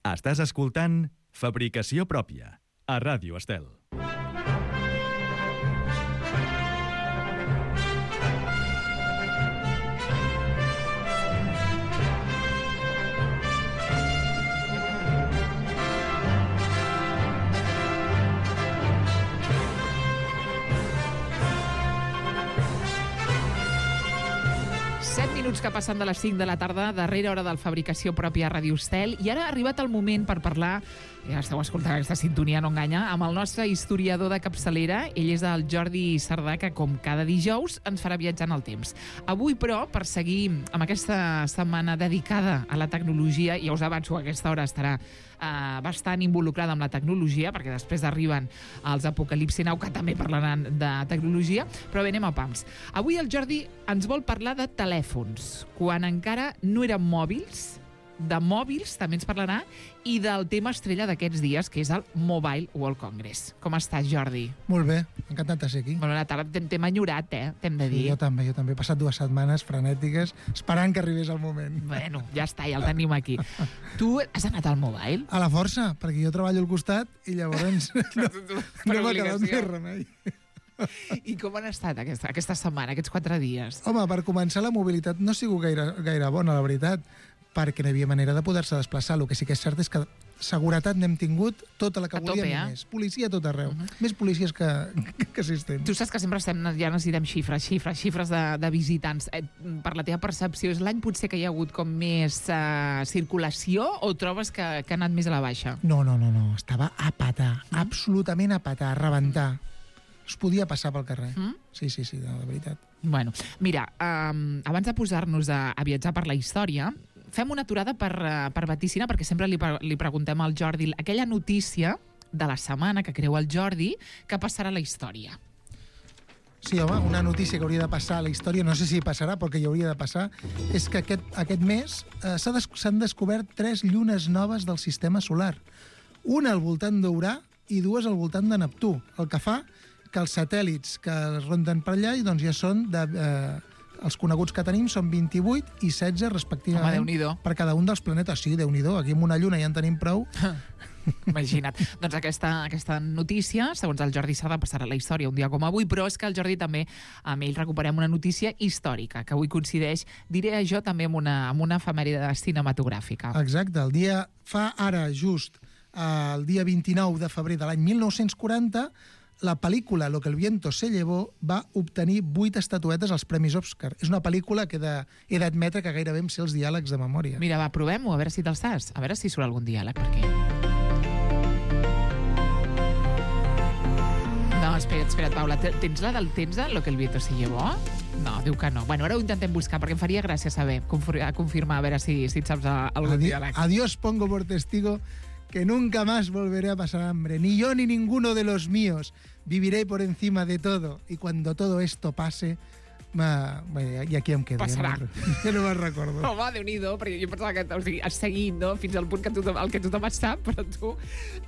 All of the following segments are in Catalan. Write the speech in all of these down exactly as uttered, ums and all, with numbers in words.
Estàs escoltant Fabricació Pròpia, a Ràdio Estel. set minuts que passen de les cinc de la tarda, darrera hora del Fabricació Pròpia a Ràdio Estel, i ara ha arribat el moment per parlar, ja esteu escoltant aquesta sintonia, no enganya, amb el nostre historiador de capçalera. Ell és el Jordi Cerdà, que com cada dijous ens farà viatjar en el temps. Avui, però, per seguir amb aquesta setmana dedicada a la tecnologia, ja us avanço que a aquesta hora estarà eh, bastant involucrada amb la tecnologia, perquè després arriben els Apocalipsi Now, que també parlaran de tecnologia, però bé, anem a pams. Avui el Jordi ens vol parlar de telèfons, quan encara no eren mòbils, de mòbils també ens parlarà, i del tema estrella d'aquests dies, que és el Mobile World Congress. Com estàs, Jordi? Molt bé, encantat de ser aquí. Bona tarda, t'hem enyorat, eh? T'hem de dir. Sí, jo també, jo també. He passat dues setmanes frenètiques esperant que arribés el moment. Bueno, ja està, ja el tenim aquí. Tu has anat al Mobile? A la força, perquè jo treballo al costat i llavors no, no m'ha quedat més remei. I com han estat aquesta, aquesta setmana, aquests quatre dies? Home, per començar, la mobilitat no ha sigut gaire, gaire bona, la veritat, perquè no hi havia manera de poder-se desplaçar. El que sí que és cert és que seguretat n'hem tingut tota la que a volíem tope, i eh? més. Policia a tot arreu. Uh -huh. Més policies que, que assistents. Tu saps que sempre estem, ja necessitem xifres, xifres, xifres de, de visitants. Eh, per la teva percepció, és l'any potser que hi ha hagut com més eh, circulació, o trobes que, que ha anat més a la baixa? No, no, no, no. Estava a patar, mm. absolutament a patar, a rebentar. Es podia passar pel carrer. Mm? Sí, sí, sí, de, de veritat. Bueno, mira, um, abans de posar-nos a, a viatjar per la història, fem una aturada per, uh, per vaticinar, perquè sempre li, li preguntem al Jordi aquella notícia de la setmana que creu el Jordi que passarà a la història. Sí, home, una notícia que hauria de passar a la història, no sé si passarà, però que hi hauria de passar, és que aquest, aquest mes eh, s'han des, descobert tres llunes noves del sistema solar. Una al voltant d'Urà i dues al voltant de Neptú, el que fa que els satèl·lits que es ronden per allà doncs ja són de, eh, els coneguts que tenim són vint-i-vuit i setze respectivament. Home, Déu-n'hi-do. Per cada un dels planetes. Sí, Déu-n'hi-do, aquí amb una lluna ja en tenim prou. Imagina't. Doncs aquesta, aquesta notícia, segons el Jordi Cerdà, passarà a la història un dia com avui, però és que el Jordi també, amb ell recuperem una notícia històrica, que avui coincideix, diré jo, també amb una, amb una efemèride cinematogràfica. Exacte, el dia, fa ara just eh, el dia vint-i-nou de febrer de l'any mil nou-cents quaranta, la pel·lícula Lo que el viento se llevó va obtenir vuit estatuetes als Premis Òscar. És una pel·lícula que de, he d'admetre que gairebé em sé els diàlegs de memòria. Mira, va, provem-ho, a veure si te'ls saps. A veure si surt algun diàleg per aquí. No, espera't, espera't, Paula. Tens la del Tenza, Lo que el viento se llevó? No, diu que no. Bueno, ara ho intentem buscar, perquè em faria gràcia saber, confirmar, a veure si, si et saps algun Adi diàleg. Adiós pongo por testigo que nunca más volveré a pasar hambre, ni yo ni ninguno de los míos. Viviré por encima de todo, y cuando todo esto pase, ma... Bé, i aquí em quedo. Passarà. Ja no, ja no me'n recordo. Home, Déu-n'hi-do, perquè jo pensava que, o sigui, has seguit, no?, fins al punt que tothom, el que tothom sap, però tu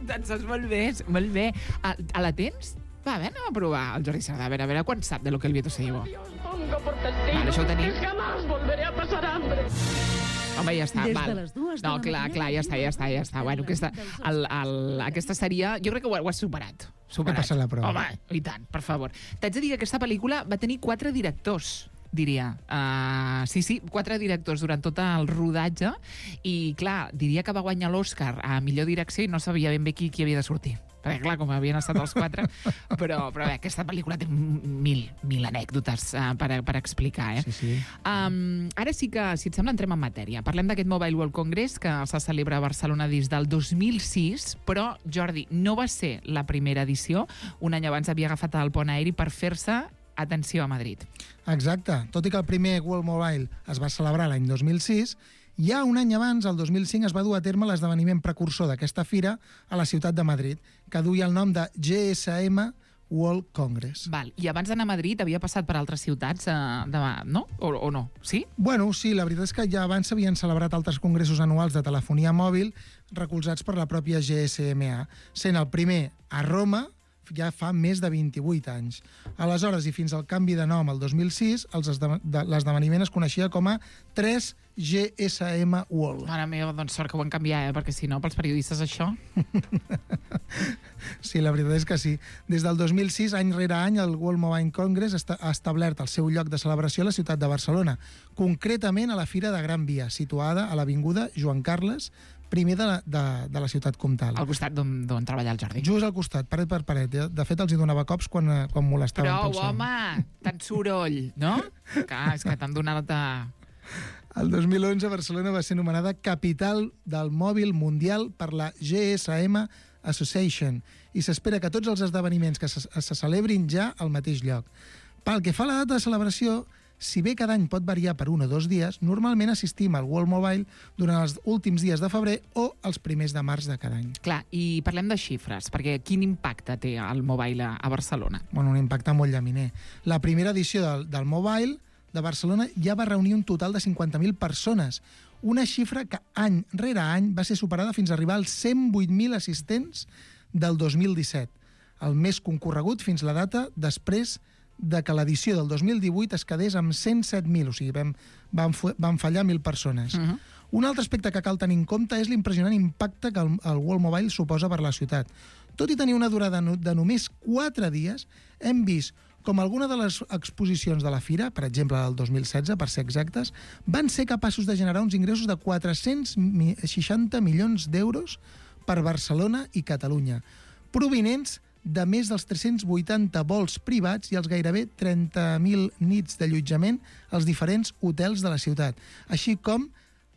te'n saps molt bé, molt bé. A, a la tens? Va, a veure, anem a provar el Jordi Cerdà, a veure, a veure quan sap de Lo que el viento se llevó. Vale, això ho tenim. Jamás volveré a pasar hambre. Home, ja està, Des val. de les dues de no, la clar, matinada, clar, ja està, ja està, ja està. Bueno, aquesta, el, el, aquesta seria... Jo crec que ho, ho has superat. superat. He passat la prova. Home, i tant, per favor. T'haig de dir que aquesta pel·lícula va tenir quatre directors, diria. Uh, sí, sí, quatre directors durant tot el rodatge, i clar, diria que va guanyar l'Oscar a millor direcció i no sabia ben bé qui, qui havia de sortir. Perquè, clar, com havien estat els quatre, però, però bé, aquesta pel·lícula té mil, mil anècdotes uh, per, per explicar, eh? Sí, sí. Um, ara sí que, si et sembla, entrem en matèria. Parlem d'aquest Mobile World Congress que se celebra a Barcelona des del dos mil sis, però, Jordi, no va ser la primera edició. Un any abans havia agafat el pont aeri per fer-se, atenció, a Madrid. Exacte. Tot i que el primer World Mobile es va celebrar l'any dos mil sis, ja un any abans, el dos mil cinc, es va dur a terme l'esdeveniment precursor d'aquesta fira a la ciutat de Madrid, que duia el nom de G S M World Congress. Val. I abans d'anar a Madrid havia passat per altres ciutats, eh, de, no? O, o no? Sí? Bueno, sí, la veritat és que ja abans s'havien celebrat altres congressos anuals de telefonia mòbil recolzats per la pròpia G S M A, sent el primer a Roma ja fa més de vint-i-vuit anys. Aleshores, i fins al canvi de nom el dos mil sis, l'esdeveniment es coneixia com a tres G S M World. Mare meva, doncs sort que ho van canviar, eh? Perquè si no, pels periodistes això... Sí, la veritat és que sí. Des del dos mil sis, any rere any, el World Mobile Congress ha establert el seu lloc de celebració a la ciutat de Barcelona, concretament a la Fira de Gran Via, situada a l'avinguda Joan Carles, primer de la, de, de la ciutat comtal. Al costat d'on treballa el Jordi. Just al costat, paret per paret. De fet, els hi donava cops quan, quan molestaven. Però, home, tant soroll, no? Clar, és que t'han donat... A... El dos mil onze, Barcelona va ser nomenada Capital del Mòbil Mundial per la G S M Association i s'espera que tots els esdeveniments que se, se celebrin ja al mateix lloc. Pel que fa a la data de celebració, si bé cada any pot variar per un o dos dies, normalment assistim al World Mobile durant els últims dies de febrer o els primers de març de cada any. Clar, i parlem de xifres, perquè quin impacte té el Mobile a Barcelona? Bueno, un impacte molt llaminer. La primera edició del, del Mobile de Barcelona ja va reunir un total de cinquanta mil persones, una xifra que any rere any va ser superada fins a arribar als cent vuit mil assistents del dos mil disset, el més concorregut fins la data després de que l'edició del dos mil divuit es quedés amb cent set mil, o sigui, vam, vam, vam fallar mil persones. Uh-huh. Un altre aspecte que cal tenir en compte és l'impressionant impacte que el, el World Mobile suposa per la ciutat. Tot i tenir una durada de només quatre dies, hem vist com alguna de les exposicions de la fira, per exemple del dos mil setze, per ser exactes, van ser capaços de generar uns ingressos de quatre-cents seixanta milions d'euros per Barcelona i Catalunya, provinents de més dels tres-cents vuitanta vols privats i els gairebé trenta mil nits d'allotjament als diferents hotels de la ciutat, així com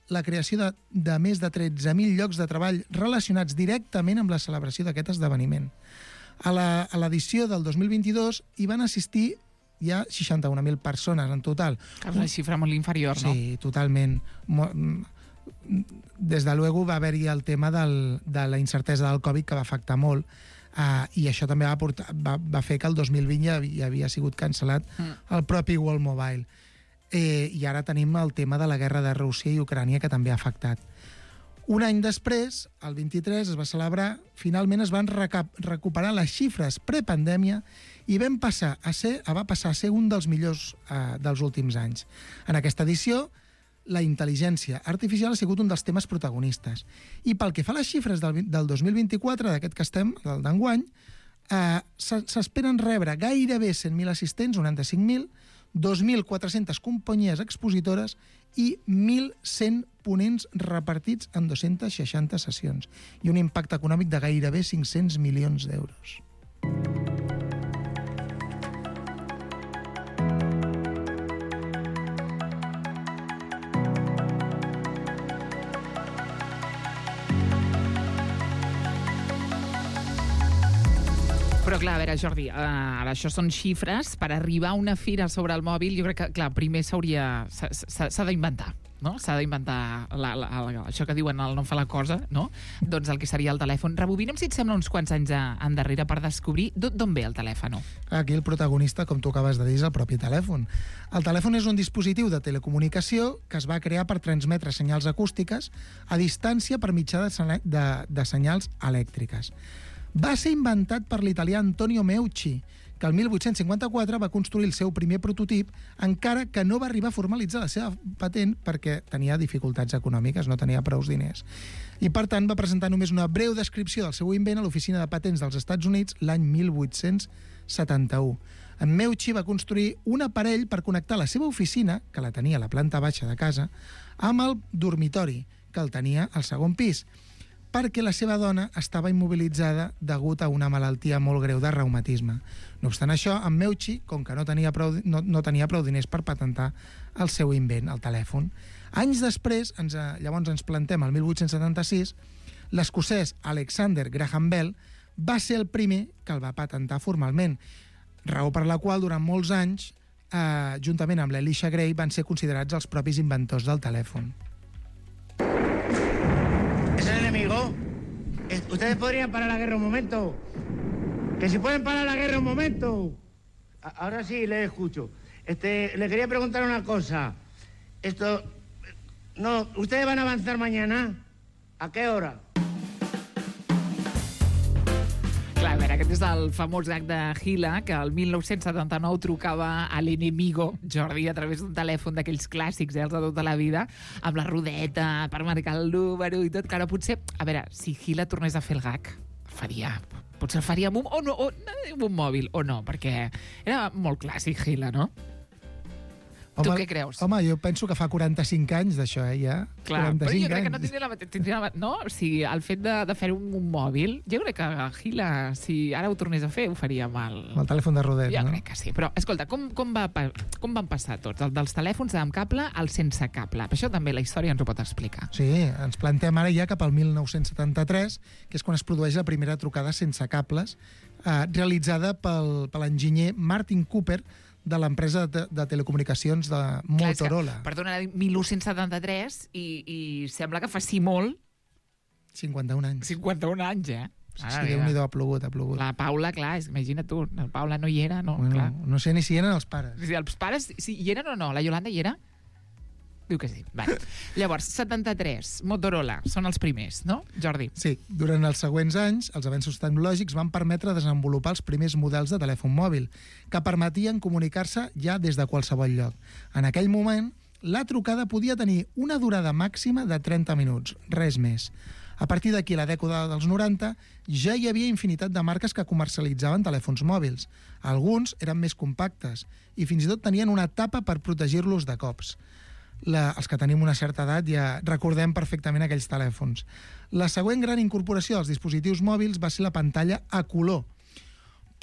la creació de, de més de tretze mil llocs de treball relacionats directament amb la celebració d'aquest esdeveniment. A l'edició del dos mil vint-i-dos hi van assistir ja seixanta-un mil persones en total. Que és una xifra molt inferior, no? Sí, totalment. Des de luego va haver-hi el tema del, de la incertesa del Covid que va afectar molt, uh, i això també va, portar, va, va fer que el dos mil vint ja, ja havia sigut cancel·lat mm. el propi World Mobile. Eh, I ara tenim el tema de la guerra de Rússia i Ucrània que també ha afectat. Un any després, el vint-i-tres, es va celebrar, finalment es van recap recuperar les xifres prepandèmia i vam passar a ser, va passar a ser un dels millors eh, dels últims anys. En aquesta edició, la intel·ligència artificial ha sigut un dels temes protagonistes. I pel que fa a les xifres del, del dos mil vint-i-quatre, d'aquest que estem, del d'enguany, eh, s'esperen rebre gairebé cent mil assistents, noranta-cinc mil, dos mil quatre-centes companyies expositores i mil cent ponents repartits en dos-centes seixanta sessions i un impacte econòmic de gairebé cinc-cents milions d'euros. Però clar, a veure, Jordi, uh, ara això són xifres. Per arribar a una fira sobre el mòbil, jo crec que, clar, primer s'hauria... s'ha d'inventar, no? S'ha d'inventar la, la, la, això que diuen el no fa la cosa, no? Doncs el que seria el telèfon. Rebobinem, si et sembla, uns quants anys endarrere per descobrir d'on ve el telèfon. Aquí el protagonista, com tu acabes de dir, és el propi telèfon. El telèfon és un dispositiu de telecomunicació que es va crear per transmetre senyals acústiques a distància per mitjà de, de, de senyals elèctriques. Va ser inventat per l'italià Antonio Meucci, que el mil vuit-cents cinquanta-quatre va construir el seu primer prototip, encara que no va arribar a formalitzar la seva patent perquè tenia dificultats econòmiques, no tenia prous diners. I, per tant, va presentar només una breu descripció del seu invent a l'Oficina de Patents dels Estats Units l'any mil vuit-cents setanta-u. En Meucci va construir un aparell per connectar la seva oficina, que la tenia a la planta baixa de casa, amb el dormitori, que el tenia al segon pis, perquè la seva dona estava immobilitzada degut a una malaltia molt greu de reumatisme. No obstant això, en Meucci, com que no tenia prou, no, no tenia prou diners per patentar el seu invent, el telèfon, anys després, ens, llavors ens plantem al mil vuit-cents setanta-sis, l'escocès Alexander Graham Bell va ser el primer que el va patentar formalment, raó per la qual durant molts anys, eh, juntament amb l'Elisha Gray, van ser considerats els propis inventors del telèfon. ¿Es el enemigo? ¿Ustedes podrían parar la guerra un momento? ¿Que si pueden parar la guerra un momento? Ahora sí, les escucho. Este, le quería preguntar una cosa. Esto... No, ¿ustedes van a avanzar mañana? ¿A qué hora? Clar, a veure, Aquest és el famós gag de Gila, que el mil nou-cents setanta-nou trucava a l'enemigo, Jordi, a través d'un telèfon d'aquells clàssics, eh, els de tota la vida, amb la rodeta per marcar el número i tot. Clar, potser, a veure, si Gila tornés a fer el gag, el faria... Potser el faria amb un, o no, o, amb un mòbil, o no, perquè era molt clàssic, Gila, no? Home, tu què creus? Home, jo penso que fa quaranta-cinc anys d'això, eh, ja. Clar, però jo crec que no anys. tindria la mateixa... Tindria la, no? O sigui, el fet de, de fer un, un mòbil, jo crec que Gila, si ara ho tornés a fer, ho faria amb el... Amb el telèfon de rodet, Jo no? crec que sí. Però, escolta, com, com, va, pa- com van passar tots? El dels telèfons amb cable al sense cable. Per això també la història ens ho pot explicar. Sí, ens plantem ara ja cap al mil nou-cents setanta-tres, que és quan es produeix la primera trucada sense cables, eh, realitzada pel, per l'enginyer Martin Cooper, de l'empresa de, de telecomunicacions de Motorola. Clar, perdona, era mil nou-cents setanta-tres i, i sembla que faci molt, cinquanta-un anys. cinquanta-un anys, eh? Sí, sí, Déu-n'hi-do, ha plogut, ha plogut. La Paula, clar, és, imagina tu, la Paula no hi era, no? Bueno, Clar. no sé ni si eren els pares. Si els pares, si hi eren o no? La Yolanda hi era? Diu que sí. Vale. Llavors, setanta-tres, Motorola, són els primers, no, Jordi? Sí, durant els següents anys, els avenços tecnològics van permetre desenvolupar els primers models de telèfon mòbil, que permetien comunicar-se ja des de qualsevol lloc. En aquell moment, la trucada podia tenir una durada màxima de trenta minuts, res més. A partir d'aquí, a la dècada dels noranta, ja hi havia infinitat de marques que comercialitzaven telèfons mòbils. Alguns eren més compactes i fins i tot tenien una tapa per protegir-los de cops. La, els que tenim una certa edat ja recordem perfectament aquells telèfons. La següent gran incorporació dels dispositius mòbils va ser la pantalla a color.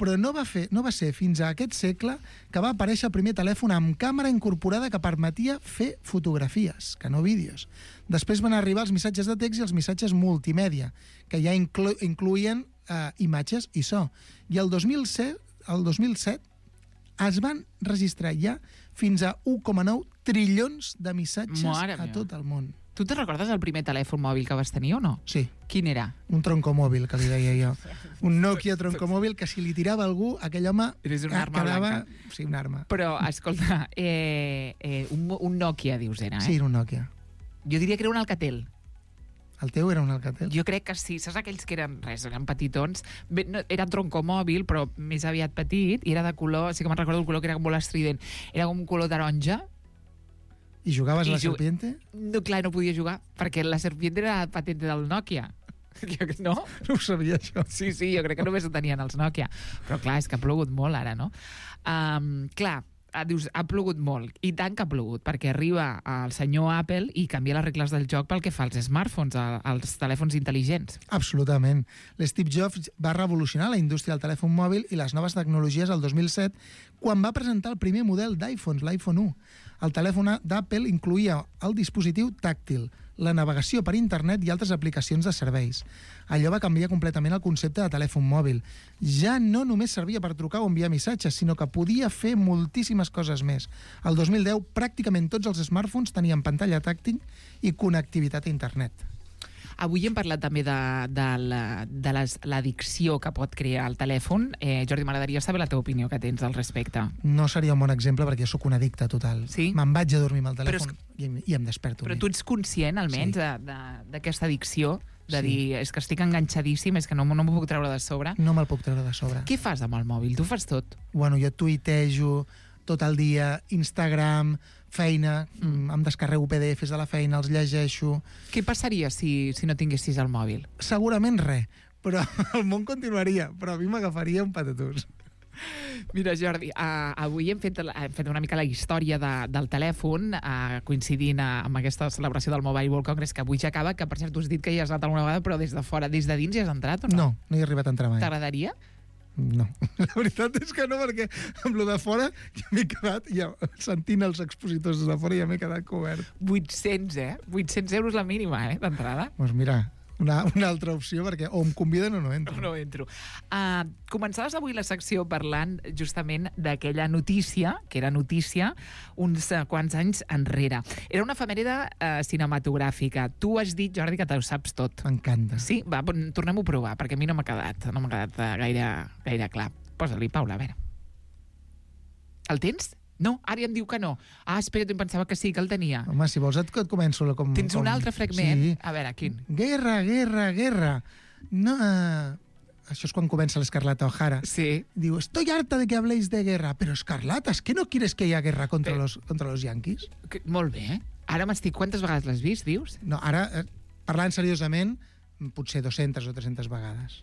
Però no va, fer, no va ser fins a aquest segle que va aparèixer el primer telèfon amb càmera incorporada que permetia fer fotografies, que no vídeos. Després van arribar els missatges de text i els missatges multimèdia, que ja inclo, incluïen eh, imatges i so. I el dos mil set, el dos mil set es van registrar ja fins a un coma nou trilions de missatges Mare a meva. tot el món. Tu te'n recordes el primer telèfon mòbil que vas tenir o no? Sí, Quin era? un troncomòbil, que li deia jo. Un Nokia troncomòbil que si li tirava algú, aquell home Eres una arma quedava... blanca. Sí, una arma. Però, escolta, eh, eh, un, un Nokia, dius, era, eh? Sí, era un Nokia. Jo diria que era un Alcatel. El teu era un Alcatel? Jo crec que sí. Saps aquells que eren, res, eren petitons? Bé, no, era troncomòbil, però més aviat petit, i era de color, sí que me'n recordo el color que era molt estrident. Era com un color taronja. I jugaves I a la ju- serpiente? No, clar, no podia jugar, perquè la serpiente era patente del Nokia. Jo, no? No ho sabia, això. Sí, sí, jo crec que només ho tenien els Nokia. Però clar, és que ha plogut molt ara, no? Um, clar, ah, dius, ha plogut molt. I tant que ha plogut, perquè arriba el senyor Apple i canvia les regles del joc pel que fa als smartphones, a- als telèfons intel·ligents. Absolutament. L'Steve Jobs va revolucionar la indústria del telèfon mòbil i les noves tecnologies el dos mil set quan va presentar el primer model d'iPhones, l'iPhone u. El telèfon d'Apple incluïa el dispositiu tàctil, la navegació per internet i altres aplicacions de serveis. Allò va canviar completament el concepte de telèfon mòbil. Ja no només servia per trucar o enviar missatges, sinó que podia fer moltíssimes coses més. El dos mil deu, pràcticament tots els smartphones tenien pantalla tàctil i connectivitat a internet. Avui hem parlat també de, de la- de les- l'addicció que pot crear el telèfon. Eh, Jordi, m'agradaria saber la teva opinió que tens al respecte. No seria un bon exemple perquè jo sóc un addicte total. Sí? Me'n vaig a dormir amb el Però és telèfon i, em- i em desperto. Però tu ets conscient, almenys, Sí. de- de- d'aquesta addicció, de Sí. dir, és que estic enganxadíssim, és que no, no m'ho puc treure de sobre. No me'l puc treure de sobre. Què fas amb el mòbil? Tu fas tot. Bueno, jo tuitejo tot el dia, Instagram, feina, mm. em descarrego P D Efes de la feina, els llegeixo... Què passaria si, si no tinguessis el mòbil? Segurament res, però el món continuaria, però a mi m'agafaria un patatús. Mira, Jordi, uh, avui hem fet, hem fet una mica la història de, del telèfon, uh, coincidint uh, amb aquesta celebració del Mobile World Congress, que avui ja acaba, que per cert tu has dit que hi has anat alguna vegada, però des de fora, des de dins hi has entrat o no? No, no hi he arribat a entrar mai. T'agradaria? No, la veritat és que no, perquè amb lo de fora ja m'he quedat, ja, sentint els expositors des de fora ja m'he quedat cobert. vuit-cents, eh? vuit-cents euros la mínima, eh, d'entrada. Doncs mira, una, una altra opció, perquè o em conviden o no entro. No entro. Uh, començaves avui la secció parlant justament d'aquella notícia, que era notícia uns uh, quants anys enrere. Era una efemèride uh, cinematogràfica. Tu has dit, Jordi, que t'ho saps tot. M'encanta. Sí? Va, bon, tornem-ho a provar, perquè a mi no m'ha quedat, no m'ha quedat uh, gaire, gaire clar. Posa-li, Paula, a veure. El tens? No, ara ja em diu que no. Ah, espera, em pensava que sí, que el tenia. Home, si vols et, et començo com... Tens com... un altre fragment? Sí. A veure, quin? Guerra, guerra, guerra. No, uh, això és quan comença l'Escarlata O'Hara. Sí. Diu, estoy harta de que habléis de guerra. Pero Escarlata, ¿es que no quieres que haya guerra contra, los, contra los yanquis? Que, molt bé, eh? Ara m'estic... Quantes vegades l'has vist, dius? No, ara, eh, parlant seriosament, potser dues-centes o tres-centes vegades.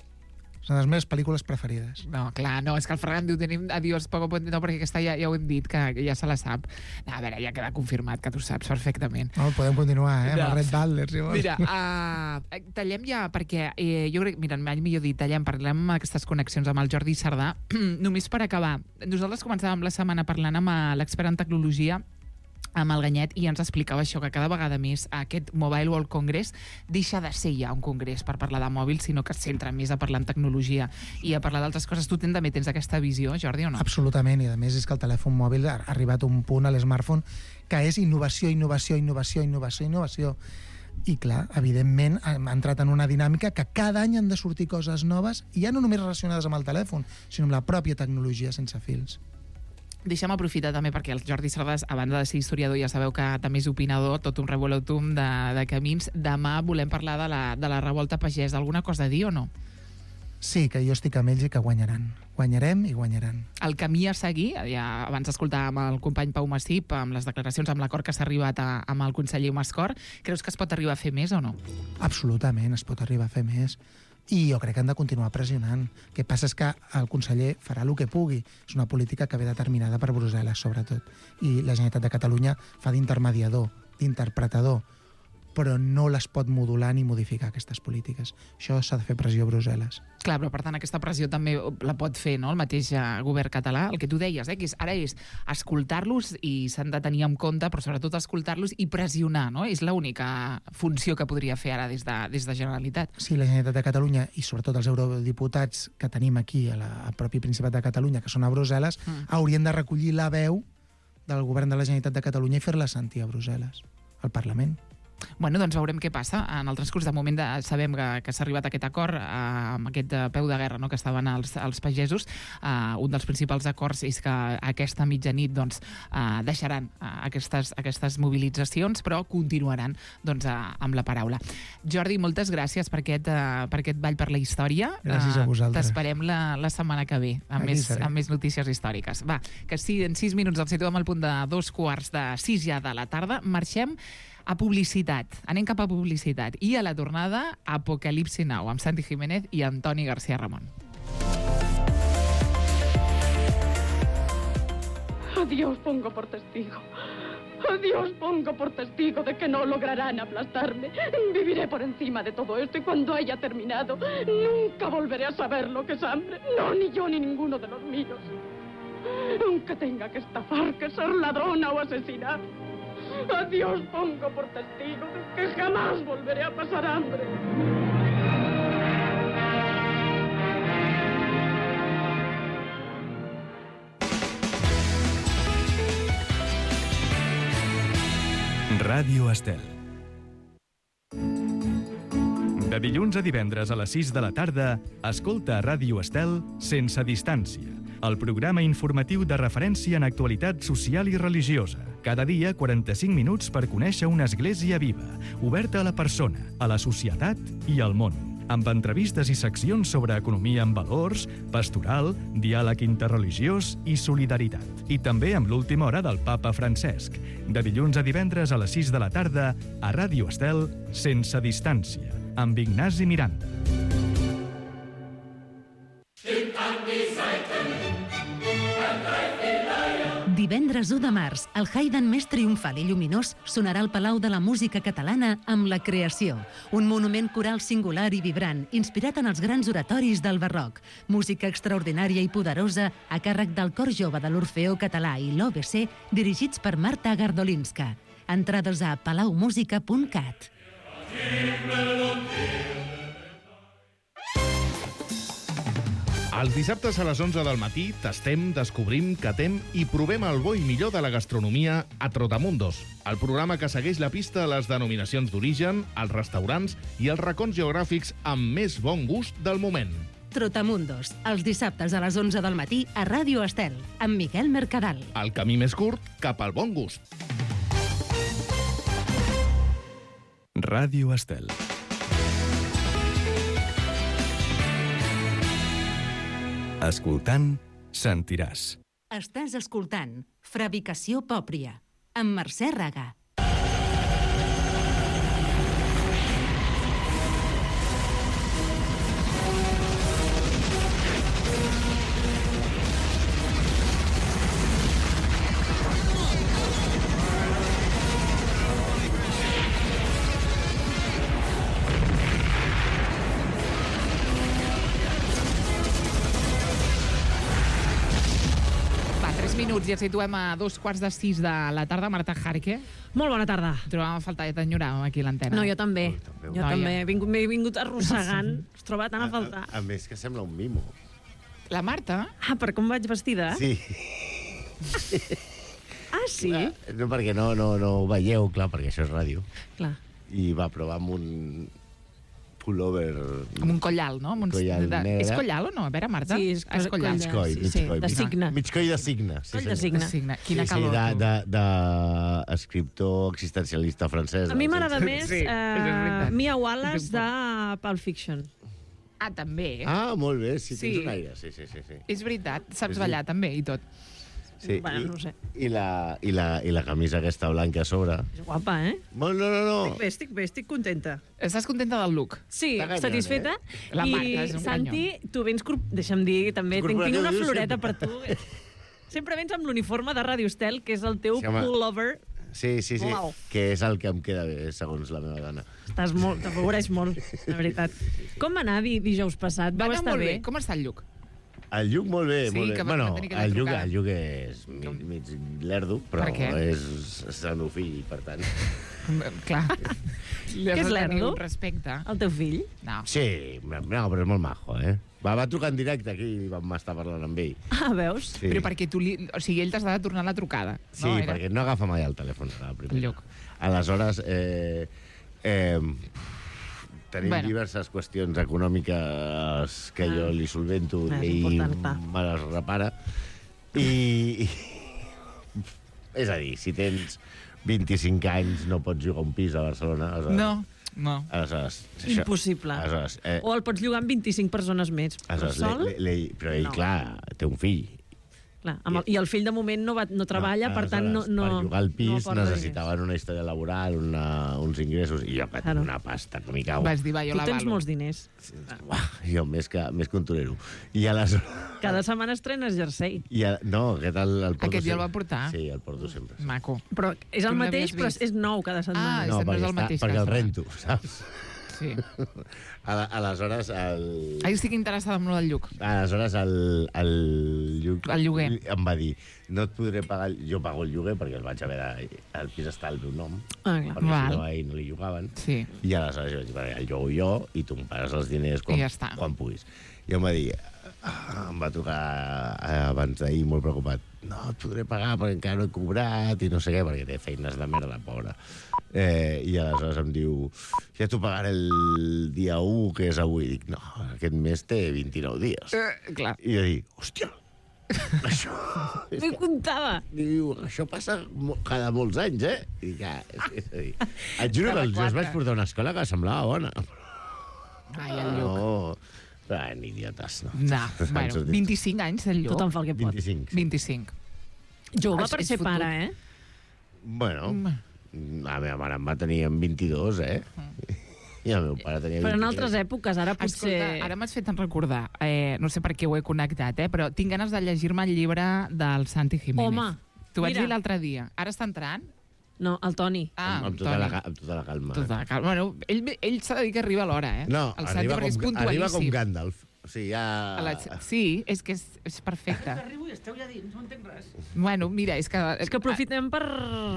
Són les meves pel·lícules preferides. No, clar, no, és que el Ferran diu tenim Adiós Poco Puente, no, perquè aquesta ja, ja ho hem dit, que, que ja se la sap. No, a veure, ja queda confirmat que tu saps perfectament. No, podem continuar, eh, amb No. el Red Butler, si vols. Mira, uh, tallem ja, perquè eh, jo crec, mira, mai millor dit, tallem, parlem aquestes connexions amb el Jordi Sardà. Només per acabar, nosaltres començàvem la setmana parlant amb l'expert en tecnologia, amb el Ganyet, i ens explicava això, que cada vegada més aquest Mobile World Congress deixa de ser ja un congrés per parlar de mòbils, sinó que es centra més a parlar en tecnologia i a parlar d'altres coses. Tu ten, també tens aquesta visió, Jordi, o no? Absolutament, i a més és que el telèfon mòbil ha arribat a un punt, a l'smartphone, que és innovació, innovació, innovació, innovació, innovació. I clar, evidentment, hem entrat en una dinàmica que cada any han de sortir coses noves, i ja no només relacionades amb el telèfon, sinó amb la pròpia tecnologia sense fils. Deixa'm aprofitar també perquè el Jordi Sardàs, a banda de ser historiador, ja sabeu que també és opinador, tot un revolutum de, de camins. Demà volem parlar de la, de la revolta pagès. Alguna cosa a dir o no? Sí, que jo estic amb ells i que guanyaran. Guanyarem i guanyaran. El camí a seguir, ja abans escoltàvem el company Pau Massip amb les declaracions, amb l'acord que s'ha arribat a, amb el conseller Mascor, creus que es pot arribar a fer més o no? Absolutament, es pot arribar a fer més. I jo crec que han de continuar pressionant. El que passa és que el conseller farà el que pugui. És una política que ve determinada per Brussel·les, sobretot. I la Generalitat de Catalunya fa d'intermediador, d'interpretador, però no les pot modular ni modificar, aquestes polítiques. Això s'ha de fer pressió a Brussel·les. Clar, però per tant aquesta pressió també la pot fer, no?, el mateix eh, govern català. El que tu deies, eh, que és, ara és escoltar-los i s'han de tenir en compte, però sobretot escoltar-los i pressionar, no? És l'única funció que podria fer ara des de, des de Generalitat. Sí, la Generalitat de Catalunya i sobretot els eurodiputats que tenim aquí a la, al propi Principat de Catalunya, que són a Brussel·les, mm. haurien de recollir la veu del govern de la Generalitat de Catalunya i fer-la sentir a Brussel·les, al Parlament. Bueno, doncs veurem què passa. En el transcurs de moment de, sabem que, que s'ha arribat a aquest acord, eh, amb aquest eh, peu de guerra, no?, que estaven els, els pagesos. Eh, un dels principals acords és que aquesta mitjanit doncs, eh, deixaran eh, aquestes, aquestes mobilitzacions, però continuaran doncs, eh, amb la paraula. Jordi, moltes gràcies per aquest, eh, per aquest ball per la història. Gràcies a vosaltres. T'esperem la, la setmana que ve, amb més, amb més notícies històriques. Va, que sí, en sis minuts el situem al punt de dos quarts de sis ja de la tarda. Marxem a publicitat. Anem cap a publicitat. I a la tornada, Apocalipsi Now, amb Santi Jiménez i Antoni García Ramon. A Dios pongo por testigo. A Dios pongo por testigo de que no lograrán aplastarme. Viviré por encima de todo esto y cuando haya terminado, nunca volveré a saber lo que es hambre. No, ni yo ni ninguno de los míos. Aunque tenga que estafar, que ser ladrona o asesinar. A Dios pongo por testigo de que jamás volveré a pasar hambre. Ràdio Estel. De dilluns a divendres a les sis de la tarda, escolta a Ràdio Estel Sense Distància, el programa informatiu de referència en actualitat social i religiosa. Cada dia, quaranta-cinc minuts per conèixer una església viva, oberta a la persona, a la societat i al món. Amb entrevistes i seccions sobre economia amb valors, pastoral, diàleg interreligiós i solidaritat. I també amb l'última hora del papa Francesc. De dilluns a divendres a les sis de la tarda, a Ràdio Estel, Sense Distància, amb Ignasi Miranda. Divendres u de març, el Haydn més triomfal i lluminós sonarà al Palau de la Música Catalana amb La Creació, un monument coral singular i vibrant, inspirat en els grans oratoris del barroc. Música extraordinària i poderosa a càrrec del Cor Jove de l'Orfeó Català i l'O B C, dirigits per Marta Gardolinska. Entrades a palaumusica punt cat. Els dissabtes a les onze del matí tastem, descobrim, catem i provem el bo i millor de la gastronomia a Trotamundos, el programa que segueix la pista a les denominacions d'origen, els restaurants i els racons geogràfics amb més bon gust del moment. Trotamundos, els dissabtes a les onze del matí a Ràdio Estel, amb Miquel Mercadal. El camí més curt cap al bon gust. Ràdio Estel. Escoltant, sentiràs. Estàs escoltant Fabricació Pòpria, amb Mercè Raga. Minuts i ens situem a dos quarts de sis de la tarda. Marta Jarque. Molt bona tarda. Trobàvem a faltar, ja t'enyoràvem aquí a l'antena. No, jo també. Oh, també. Jo No, també. ja. He vingut, m'he vingut arrossegant. Es troba tant a faltar. A, a, a més que sembla un mimo. La Marta? Ah, per com vaig vestida? Sí. Ah, sí? Clar, no, perquè no, no, no ho veieu, clar, perquè això és ràdio. Clar. I va provar amb un pullover... Amb un collal, no? Amb un... Collal de... negre. És collal o no? A veure, Marta. Sí, és és collal. coll Mig coll, Sí, mig sí, coll. de mig- signe. Mig coll de signe. Sí, Coll de senyor. signe. De signe. Quina sí, calor, sí, tu. de, de, de escriptor existencialista francès. A mi m'agrada més Sí, això és uh, veritat. Mia Wallace de Pulp Fiction. Ah, també. Ah, molt bé, sí, Sí. tens un aire. Sí, sí, sí. sí. És veritat. Saps Sí, sí. ballar també i tot. sí. Bueno, I, no ho sé. I la, i, la, I la camisa aquesta blanca a sobre. És guapa, eh? Molt, no, no, no. Estic bé, estic bé, estic contenta. Estàs contenta del look? Sí, Està ganyant, satisfeta. eh? La I, Marta és un Santi, tu vens... Cor... Deixa'm dir, també, tinc, tinc Corporatiu, una dius floreta sempre. per tu. Sempre vens amb l'uniforme de Radio Estel, que és el teu Sí, home. pullover. Sí, sí, sí. Uau. Que és el que em queda bé, segons la meva dona. Estàs molt, t'afavoreix molt, la veritat. Com va anar di- dijous passat? Va Vau anar estar molt bé. bé? Com està el lluc? El Lluc molt bé, Sí, molt bé. que va- Bueno, va tenir aquella el Lluc, trucada. el Lluc és mig, mig lerdo, però Per què? és, és el meu fill, per tant... Clar. Li has Què és de tenir lerdo? un respecte. El teu fill? No. Sí, no, però és molt majo, eh? Va, va trucar en directe aquí i vam estar parlant amb ell. Ah, veus? Sí, Però perquè tu li... O sigui, ell t'ha de tornar la trucada. sí no? Era- perquè no agafa mai el telèfon. La primera. El Lluc. Aleshores, eh, eh, tenim Bueno. bueno. diverses qüestions econòmiques que jo li solvento Ah, és i important, clar. me les repara. I, i... És a dir, si tens vint-i-cinc anys no pots jugar a un pis a Barcelona. Aleshores, No, no. Aleshores, Impossible. Aleshores, eh, O el pots llogar amb vint-i-cinc persones més. Però aleshores, sol? le, le, le, però ell, No. clar, té un fill. Clar, amb el, I el fill de moment no, va, no treballa, No, per tant no, aleshores, no, per jugar al no pis aporta necessitaven una història laboral, una, uns ingressos, i jo que Claro. tinc una pasta que m'hi cau. Vas dir, va, diners. jo Tu la tens valo. molts diners. Uah, jo més que, més que un torero. I aleshores... Cada setmana estrenes jersei. I a, no, aquest el, el porto Aquest ja el sempre. va portar? Sí, el porto sempre. Maco. Però és Tu el no mateix, l'havies però vist? és nou cada setmana. Ah, No, és- no és perquè, el mateix està, perquè el cada rento, saps? Sí. Ala- Aleshores, el... Ara estic interessada en lo del Lluc. Aleshores, el, el, Lluc El lloguer. em va dir no et podré pagar... el- Jo pago el lloguer perquè el vaig haver de... El pis està al meu nom, Ah, clar. perquè Val. si no a ell no li llogaven. Sí. I aleshores jo vaig dir, "Vale, el llogo jo i tu em pagues els diners quan, I ja està. quan puguis. I em va dir, ah, em va trucar eh, abans d'ahir molt preocupat, no et podré pagar perquè encara no he cobrat i no sé què, perquè té feines de merda, pobra. Eh, I aleshores em diu, ja t'ho pagaré el dia u, que és avui. Dic, no, aquest mes té vint-i-nou dies. Eh, clar. I jo dic, hòstia, això... és M'hi que- comptava. Diu, això passa mo- cada molts anys, eh? I dic, ah, és, és a dir, et juro que Cada els- jo els quatre. vaig portar a una escola que semblava bona. Ai, el Lluc. No, però eren idiotes, no? No, Han bueno, sortit. vint-i-cinc anys del Lluc. Tothom fa el que pot. vint-i-cinc. vint-i-cinc. Jove És- per és ser fotut. pare, eh? Bueno, Mm. la meva mare em va tenir amb vint-i-dos, eh? I el meu pare tenia Però en vint-i-tres. altres èpoques, ara potser... Escolta, ara m'has fet recordar, eh, no sé per què ho he connectat, eh, però tinc ganes de llegir-me el llibre del Santi Jiménez. Home, T'ho vaig mira. dir l'altre dia. Ara està entrant? No, el Toni. Ah, amb, amb, tota Toni. la, ca- amb tota la calma. Tota la calma. Bueno, ell, ell s'ha de dir que arriba a l'hora, eh? No, el Santi, arriba perquè és com, arriba com puntualíssim. Gandalf. O sigui, ja... A la... Sí, és que és, és perfecte. Arribo i esteu ja dins, no entenc res. Bueno, mira, és que... És que aprofitem per,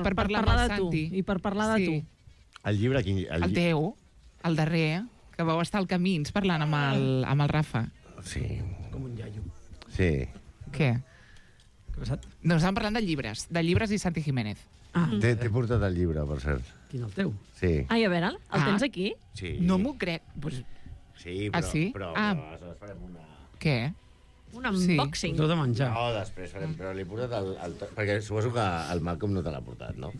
Per parlar amb parlar el de tu. Santi. I per parlar de Sí. tu. El llibre... Quin, el, El lli- teu, el darrer, que vau estar al Camins parlant amb el, amb el Rafa. Sí, Com un iaio. sí. Què? Què ha passat? No, estàvem parlant de llibres, de llibres i Santi Jiménez. Ah, T'he t'he portat el llibre, per cert. Quin el teu? Sí. Ai, a veure, el Ah. tens aquí? sí. No m'ho crec. Pues, Sí, Ah, però, sí? però, Ah. però aleshores farem una... què? Un Sí. unboxing. Tot a menjar. No, després farem, però li he portat el, el... Perquè suposo que el Malcolm no te l'ha portat, no?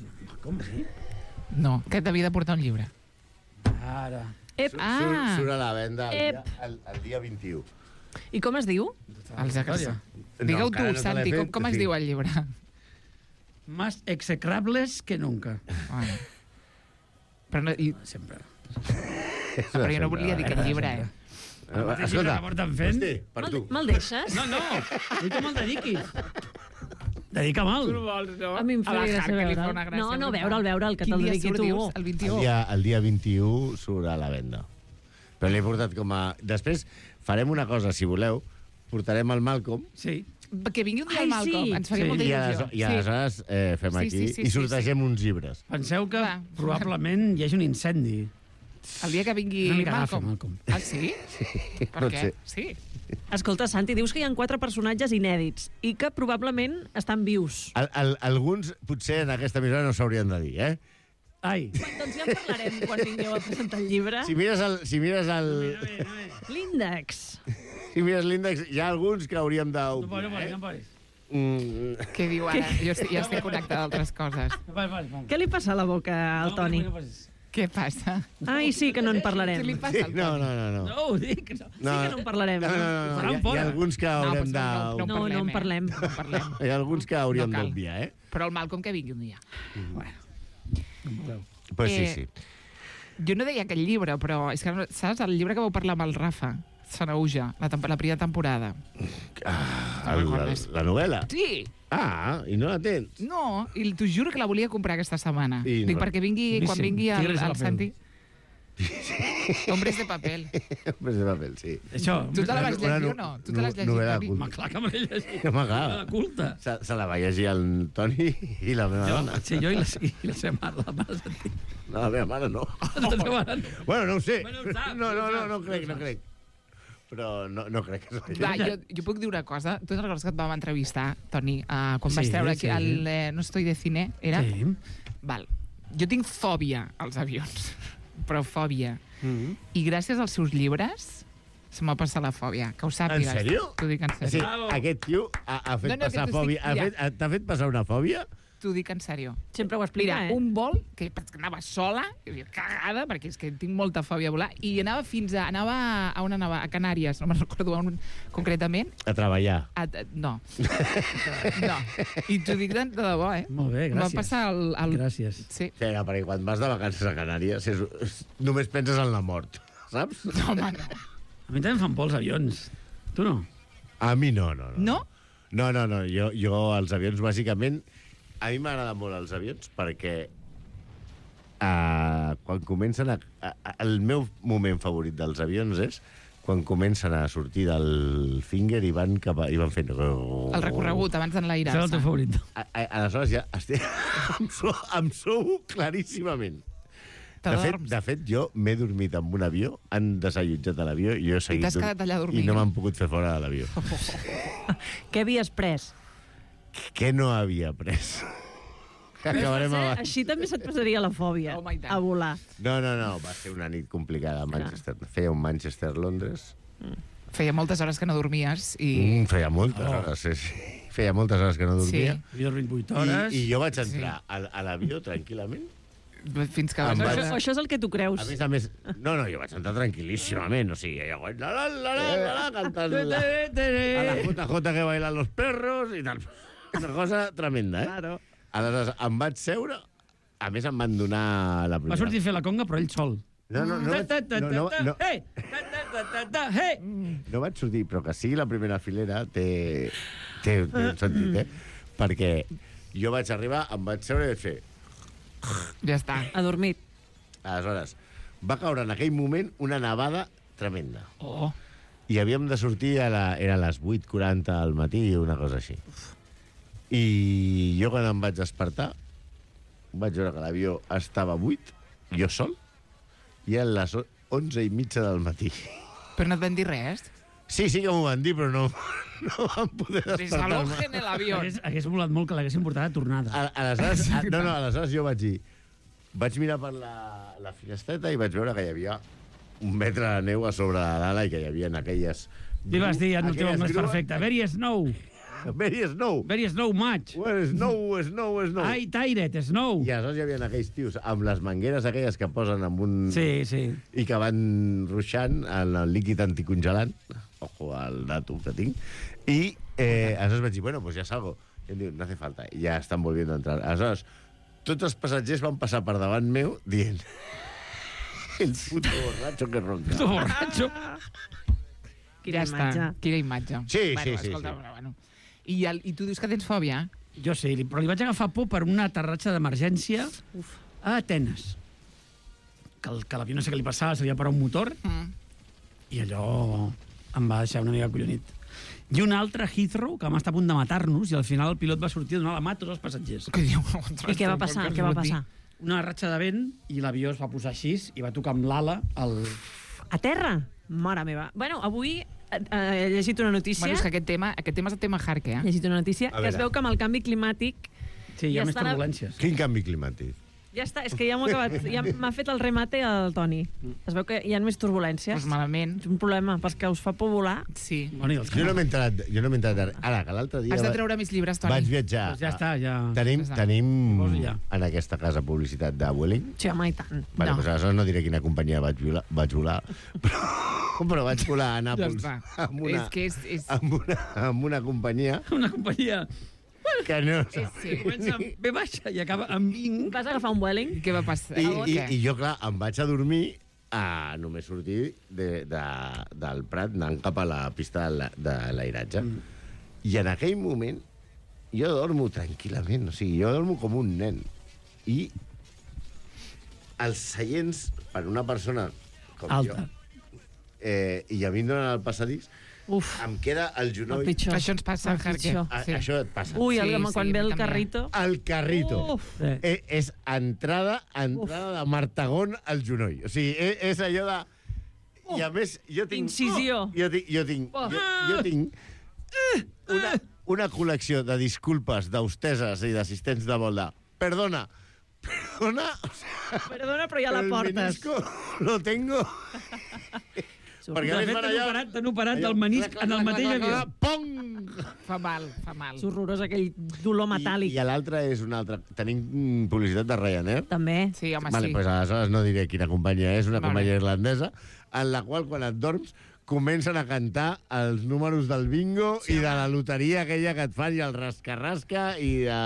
Com sí? No, que t'havia de portar un llibre. Ara. Ep, Surt, Ah. surt a la venda el dia, Ep. el, el dia vint-i-u. I com es diu? Els Història. Digue-ho encara tu, no te l'he Santi, com, fet, com es sí. diu el llibre? Más execrables que nunca. Bueno. Però, no, i, Sempre. però jo no volia dir aquest llibre, eh? El mateix llibre que porten fent. Hosti, per tu. Me'l deixes? No, no, vull que me'l dediquis. Dedica mal. vols, no? A mi em faria gràcia veure'l. gràcia. No, no, veure'l, veure'l, que Quin te'l dia dediqui surt, tu. dius? El El vint-i-u. dia, el dia vint-i-u surt a la venda. Però l'he portat com a... Després farem una cosa, si voleu. Portarem el Malcolm Sí. Que vingui un dia Ai, el Malcolm, sí. ens faria Sí. molta i, il·lusió. ales- i aleshores eh, fem Sí, aquí sí, sí, i sí, sortegem uns llibres. Penseu que Va. probablement hi hagi un incendi. El dia que vingui Una mica gafa, Malcolm. Malcolm. Ah, sí? Per pot què? ser. Sí. Escolta, Santi, dius que hi ha quatre personatges inèdits i que probablement estan vius. Al, al, alguns, potser en aquesta emissora no s'haurien de dir, eh? Ai. Doncs ja en parlarem quan vingueu a presentar el llibre. Si mires el, si mires el, L'índex. si mires l'índex, hi ha alguns que hauríem de... No posis, no posis, no posis. Mm, Què diu ara? Jo estic, ja estic connectada a altres coses. No posis, posis, posis. Què li passa a la boca al No, Toni? no posis. Què passa? Ai, sí, que no en Què li parlarem. passa sí, al no, Toni? no, no. no. No, ho dic. No. Sí que no en parlarem. No, no, no, no. Faran Hi, ha, hi fora. ha alguns que No, haurem doncs de... no, no, No, no en eh? parlem. No en parlem. Hi ha alguns que hauríem No cal. d'obviar, eh? Però el Malcolm que vingui un dia. Pues sí, Eh, sí. Jo no deia aquell llibre, però és que, no- saps, el llibre que vau parlar amb el Rafa Sanauja, la, temp- la primera temporada. Ah, el, la, la novel·la? Sí! Ah, i no la tens? No, i t'ho juro que la volia comprar aquesta setmana. I Dic, no. perquè vingui, quan Boníssim. vingui el, Tigres a la el pell. Santi... Hombres de papel. Pues de paper, sí. Això. Tu te la vas Una llegir no- o no? Tu te l'has no- llegit, novel·la Toni? culta. Ma, clar que me l'he llegit. Que m'agrada. La culta. Se, se la va llegir el Toni i la meva Jo, dona. sí, jo i la, i la seva mare, la mare Santi. No, la meva mare no. La seva mare no. Bueno, no ho sé. Bueno, ho saps, No, no, ho no, saps, no ho crec, no saps. crec. Però no, no crec que s'hagi Va, jo, jo puc dir una cosa. Tu te'n recordes que et vam entrevistar, Toni, uh, quan Sí, vas treure aquí sí. el eh, No estoy de cine, era? Sí. Val. Jo tinc fòbia als avions, però fòbia. Mm -hmm. I gràcies als seus llibres se m'ha passat la fòbia. Que ho sàpigues. En sèrio? T'ho dic en Sí, sèrio. aquest tio ha, ha fet No, no, passar que t'estic- fòbia. Ha ja. fet, ha- T'ha fet passar una fòbia? T'ho dic en sèrio. Sempre ho explica, Mira, eh? un vol, que anava sola, i cagada, perquè és que tinc molta fòbia a volar, i anava fins a... Anava a on anava? A Canàries, no me'n recordo on concretament. A treballar. A, a, no. No. I t'ho dic de, de debò, eh? Molt bé, Em va gràcies. passar el... el... Gràcies. Sí. Sí, perquè quan vas de vacances a Canàries és, és, només penses en la mort, saps? No, home, no. A mi també em fan por els avions. Tu no? A mi no, no. No? No? No, no, no. Jo, jo els avions, bàsicament... A mi m'agraden molt els avions perquè uh, quan comencen a, a, a... El meu moment favorit dels avions és quan comencen a sortir del finger i van, cap a, i van fent... El recorregut, abans Això és el d'enlairar-se. teu favorit. A, a, aleshores ja estic... em, sou, em sou claríssimament. De fet, T'adorms. de fet, jo m'he dormit en un avió, han desallotjat a l'avió i jo he seguit... t'has dur- quedat allà dormint. I no m'han pogut fer fora de l'avió. Què havies pres? Què no havia pres? Acabarem Eh, abans. Així també se't passaria la fòbia, Home, i tant. a volar. No, no, no, va ser una nit complicada a Manchester. Feia un Manchester-Londres. Feia moltes hores que no dormies i... Mm, feia moltes Oh. hores, sí, sí. Feia moltes hores que no dormia. Havia dormit vuit I, hores. I jo vaig entrar a, a l'avió tranquil·lament. Fins que Em vas... vaig- Això, això és el que tu creus. A més a més... No, no, jo vaig entrar tranquil·líssimament. O sigui, jo vaig... La, la, la, la, la, la, cantant la, a la J J que bailan los perros i tal. Una cosa tremenda, eh? Claro. Aleshores, em vaig seure... A més, em van donar la Va primera... sortir a fer la conga, però ell sol. No, no, no, vaig, Ta, ta, ta, no, no, ta, no, Hey! Ta, ta, ta, ta, ta, hey! no vaig sortir, però que sigui la primera filera té, té, té un sentit, eh? Perquè jo vaig arribar, em vaig seure i vaig fer... Ja està. Adormit. Aleshores, va caure en aquell moment una nevada tremenda. Oh. I havíem de sortir a la... Era a les vuit quaranta al matí, una cosa així. I jo quan em vaig despertar vaig veure que l'avió estava buit, jo sol, i a les onze i mitja del matí. Però no et van dir res? Sí, sí que m'ho van dir, però no, no van poder despertar-me. Desalojen el avión. Hagués, hagués volat molt que l'haguessin portat de tornada. A- Aleshores, a, no, no, aleshores jo vaig dir... Vaig mirar per la, la finestreta i vaig veure que hi havia un metre de neu a sobre de l'ala i que hi havia aquelles... Li vas dir en el teu aquelles anglès grues- perfecte. Very snow. Very snow. Very snow much. Well, snow, snow, snow. Ai, tired, snow. I aleshores hi havia aquells tios amb les mangueres aquelles que posen amb un... Sí, sí. I que van ruixant en el líquid anticongelant. Ojo, el dato que tinc, i eh, aleshores vaig dir, bueno, pues ya salgo. I em diu, no hace falta, i ja estan volviendo a entrar. Aleshores, tots els passatgers van passar per davant meu dient el puto borracho que ronca. Puto borracho. Quina ja imatge. està, quina imatge. Sí, bueno, sí, sí, escolta, sí. Bueno, bueno. I, el, I tu dius que tens fòbia? Jo sí, però li vaig agafar por per un aterratge d'emergència a Atenes. Que, el, que l'avió no sé què li passava, se li va parar un motor, Mm. i allò em va deixar una mica collonit. I un altre, Heathrow, que vam estar a punt de matar-nos, i al final el pilot va sortir a donar la mà a tots els passatgers. Què diu? I què va passar? Què va passar? Una ratxa de vent, i l'avió es va posar així, i va tocar amb l'ala el... A terra? Mare meva. Bueno, avui eh, he llegit una notícia... Bueno, és que aquest tema, aquest tema és el tema hard, eh? He llegit una notícia A que es veure. veu que amb el canvi climàtic... Sí, hi ha Ja més estan a- turbulències. Quin canvi climàtic? Ja està, és que ja m'ho he acabat. Ja m'ha fet el remate el Toni. Es veu que hi ha més turbulències. Pues malament. És un problema, perquè us fa por volar. Sí. Bueno, i els Jo no m'he enterat, jo no m'he enterat. Ara, que l'altre dia... Has de va- treure més llibres, Toni. Vaig viatjar. Doncs ja està, ja... Tenim, Ja està. tenim Poso ja. en aquesta casa publicitat de Vueling. Sí, home, i tant. Vale, No. doncs aleshores no diré quina companyia vaig volar, vaig volar però, però vaig volar a Nàpols està. amb, una, És que és- és- amb, una, amb una companyia Una companyia que no... És, sí. comença amb B baixa i acaba amb vinc. Vas agafar un Vueling? I què va passar? I, Oh, i, què? I jo, clar, em vaig a dormir a només sortir de, de, del Prat anant cap a la pista de la- de l'airatge. Mm. I en aquell moment jo dormo tranquil·lament, o sigui, jo dormo com un nen. I els seients, per una persona com Alta. jo, eh, i a mi em donen el passadís, Uf, em queda el el genoll... pitjor. Això ens passa, El Jarque. pitjor. A, Sí. Això et passa. Ui, el, Sí, quan sí, ve el també. carrito... El carrito. Uf. Sí. Eh, és entrada, entrada de martagón al genoll. O sigui, és, és allò de... I a més, jo tinc... Incisió. Jo tinc... Jo tinc, Oh. jo, jo tinc una, una col·lecció de disculpes, d'austeses i d'assistents de vol de... Perdona, perdona... O sea, Perdona, però ja la el portes. menisco lo tengo... Perquè a De més fet, van t'han allà... operat, t'han operat allò, del menisc clac, en el clac, mateix clac, avió. clac, Pong! Fa mal, fa mal. És horrorós, aquell dolor metàl·lic. I, i l'altre és un altre. Tenim mm, publicitat de Ryanair. També. Sí, home, Vale, sí. pues aleshores no diré quina companyia és, una Vale. companyia irlandesa, en la qual, quan et dorms, comencen a cantar els números del bingo sí, i de la loteria aquella que et fan, i el rasca-rasca i de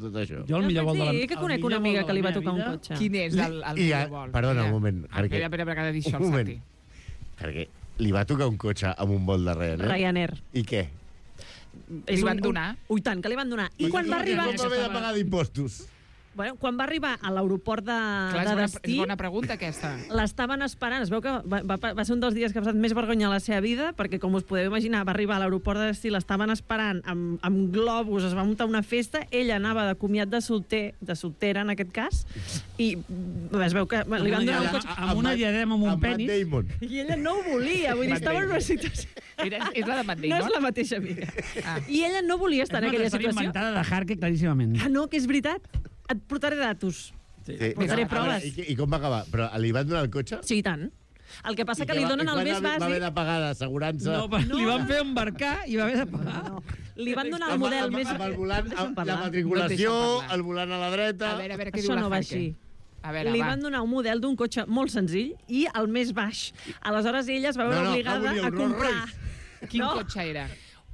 tot això. Jo el No millor vol pots de la... dir que el conec millor una amiga vol de que li la va meva tocar un vida- cotxe. Quin és el, el I millor a- vol? perdona, un Mira. moment, Ah, perquè- Espera, espera, perquè ha de dir això Un el moment. Santi. Perquè li va tocar un cotxe amb un vol de Ryanair. Ryanair. I què? És Li van un- donar? Ui, tant, que li van donar. I quan va arribar... Com va haver de pagar d'impostos? Bueno, quan va arribar a l'aeroport de, Clar, és de bona, destí, és bona pregunta, aquesta. l'estaven esperant. Es veu que va, va, va ser un dels dies que ha passat més vergonya a la seva vida, perquè, com us podeu imaginar, va arribar a l'aeroport de destí, l'estaven esperant amb, amb globus, es va muntar una festa, ella anava de comiat de solter, de soltera, en aquest cas, i es veu que bueno, li van donar un cotxe... Amb una diadema, amb un Amb Matt penis. Damon. I ella no ho volia, vull dir, Matt estava en una Damon. situació... Era, és la de Matt No Damon? és la mateixa amiga. Ah. I ella no volia estar en És una aquella història situació. inventada de Harke, claríssimament. Ah, no, que és veritat. Et portaré datos. Sí. Posaré A veure, proves. I, què- I com va acabar? Però li van donar el cotxe? Sí, i tant. El que passa I que li va- donen i el quan més va- Va haver bàsic... de pagar d'assegurança... No, no, li van fer embarcar i va haver de pagar. No, li van donar el Amb- model amb, més... amb el volant, Deixa'm amb la parlar. matriculació, No et deixen parlar. el volant a la dreta... A veure, a veure què Això diu la no va Jarque. així. A veure, Li va. van donar un model d'un cotxe molt senzill i el més baix. Aleshores ella es va veure No, no, que obligada volia un a comprar Rolls Quin no, cotxe era?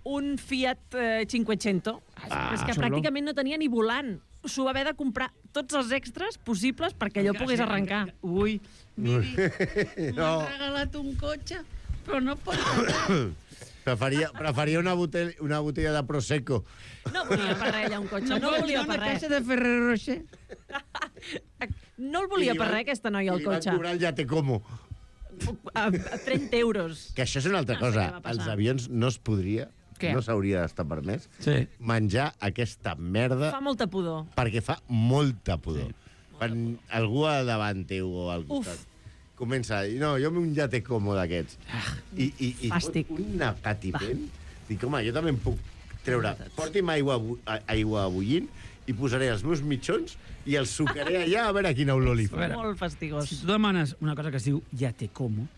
un Fiat eh, cinquecento. Ah, és que xulo. pràcticament no tenia ni volant. S'ho va haver de comprar tots els extras possibles perquè allò pogués arrencar. Ui, miri, No. m'ha regalat un cotxe, però no pot... Preferia, preferia una, botella, una botella de Prosecco. No volia per res ella un cotxe, no, pot volia donar per una res. caixa de Ferrero Rocher. No el volia I li per van- res aquesta noia el I li van cotxe. cobrar el ja te como. A, a trenta euros. Que això és una altra No sé cosa. què va passar. Als avions no es podria, Què? no s'hauria d'estar permès, Sí. menjar aquesta merda Fa molta pudor. perquè fa molta pudor. Sí. Quan algú a davant teu o al Uf. costat comença a dir, no, jo un ja te como d'aquests. I, i, i Fàstic. una catipent. Dic, home, jo també em puc treure. Porti'm aigua, bu- a- aigua bullint i posaré els meus mitjons i els sucaré allà a veure quina olor li fa. veure. Molt fastigós. Si tu demanes una cosa que es diu ja te como,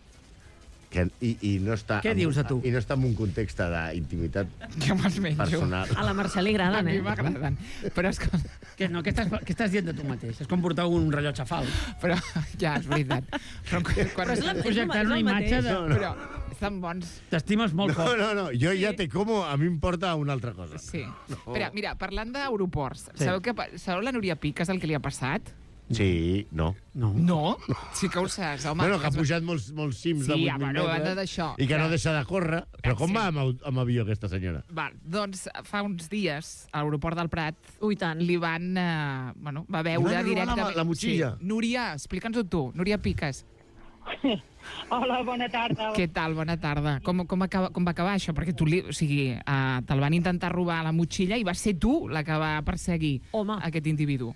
Que, i, i, no està Què en- dius de tu? I no està en un context d'intimitat Jo me'ls menjo. personal. A la Mercè li A agraden, mi eh? m'agraden. Però, escolta, que no, què estàs, què estàs dient de tu mateix? És com portar un rellotge fals. però ja, és veritat. Però quan, quan, Però és la- Projectant una és el imatge mateix. de... No, no. Però, estan bons. T'estimes molt No, poc. no, no, jo ja te como, a mi m'importa una altra cosa. Sí. No. Espera, mira, parlant d'aeroports, Sí. sabeu, que, pa- sabeu la Núria Piques el que li ha passat? Sí, no. No. No? Sí que ho saps, home. Bueno, que ha es va- pujat molts, molts cims Sí, de vuit ja, mil bueno, a banda metres d'això, i que no que- deixa de córrer. Però com Sí. va amb, au- amb avió aquesta senyora? Val, doncs fa uns dies a l'aeroport del Prat Ui, tant. li van, eh, bueno, va veure Li van robar la- directament... la motxilla? Sí. Núria, explica'ns-ho tu, Núria Piques. Hola, bona tarda. Què tal? Bona tarda. Com, com, acaba, com va acabar això? Perquè tu, li, o sigui, uh, te'l van intentar robar a la motxilla i va ser tu la que va perseguir Home. aquest individu.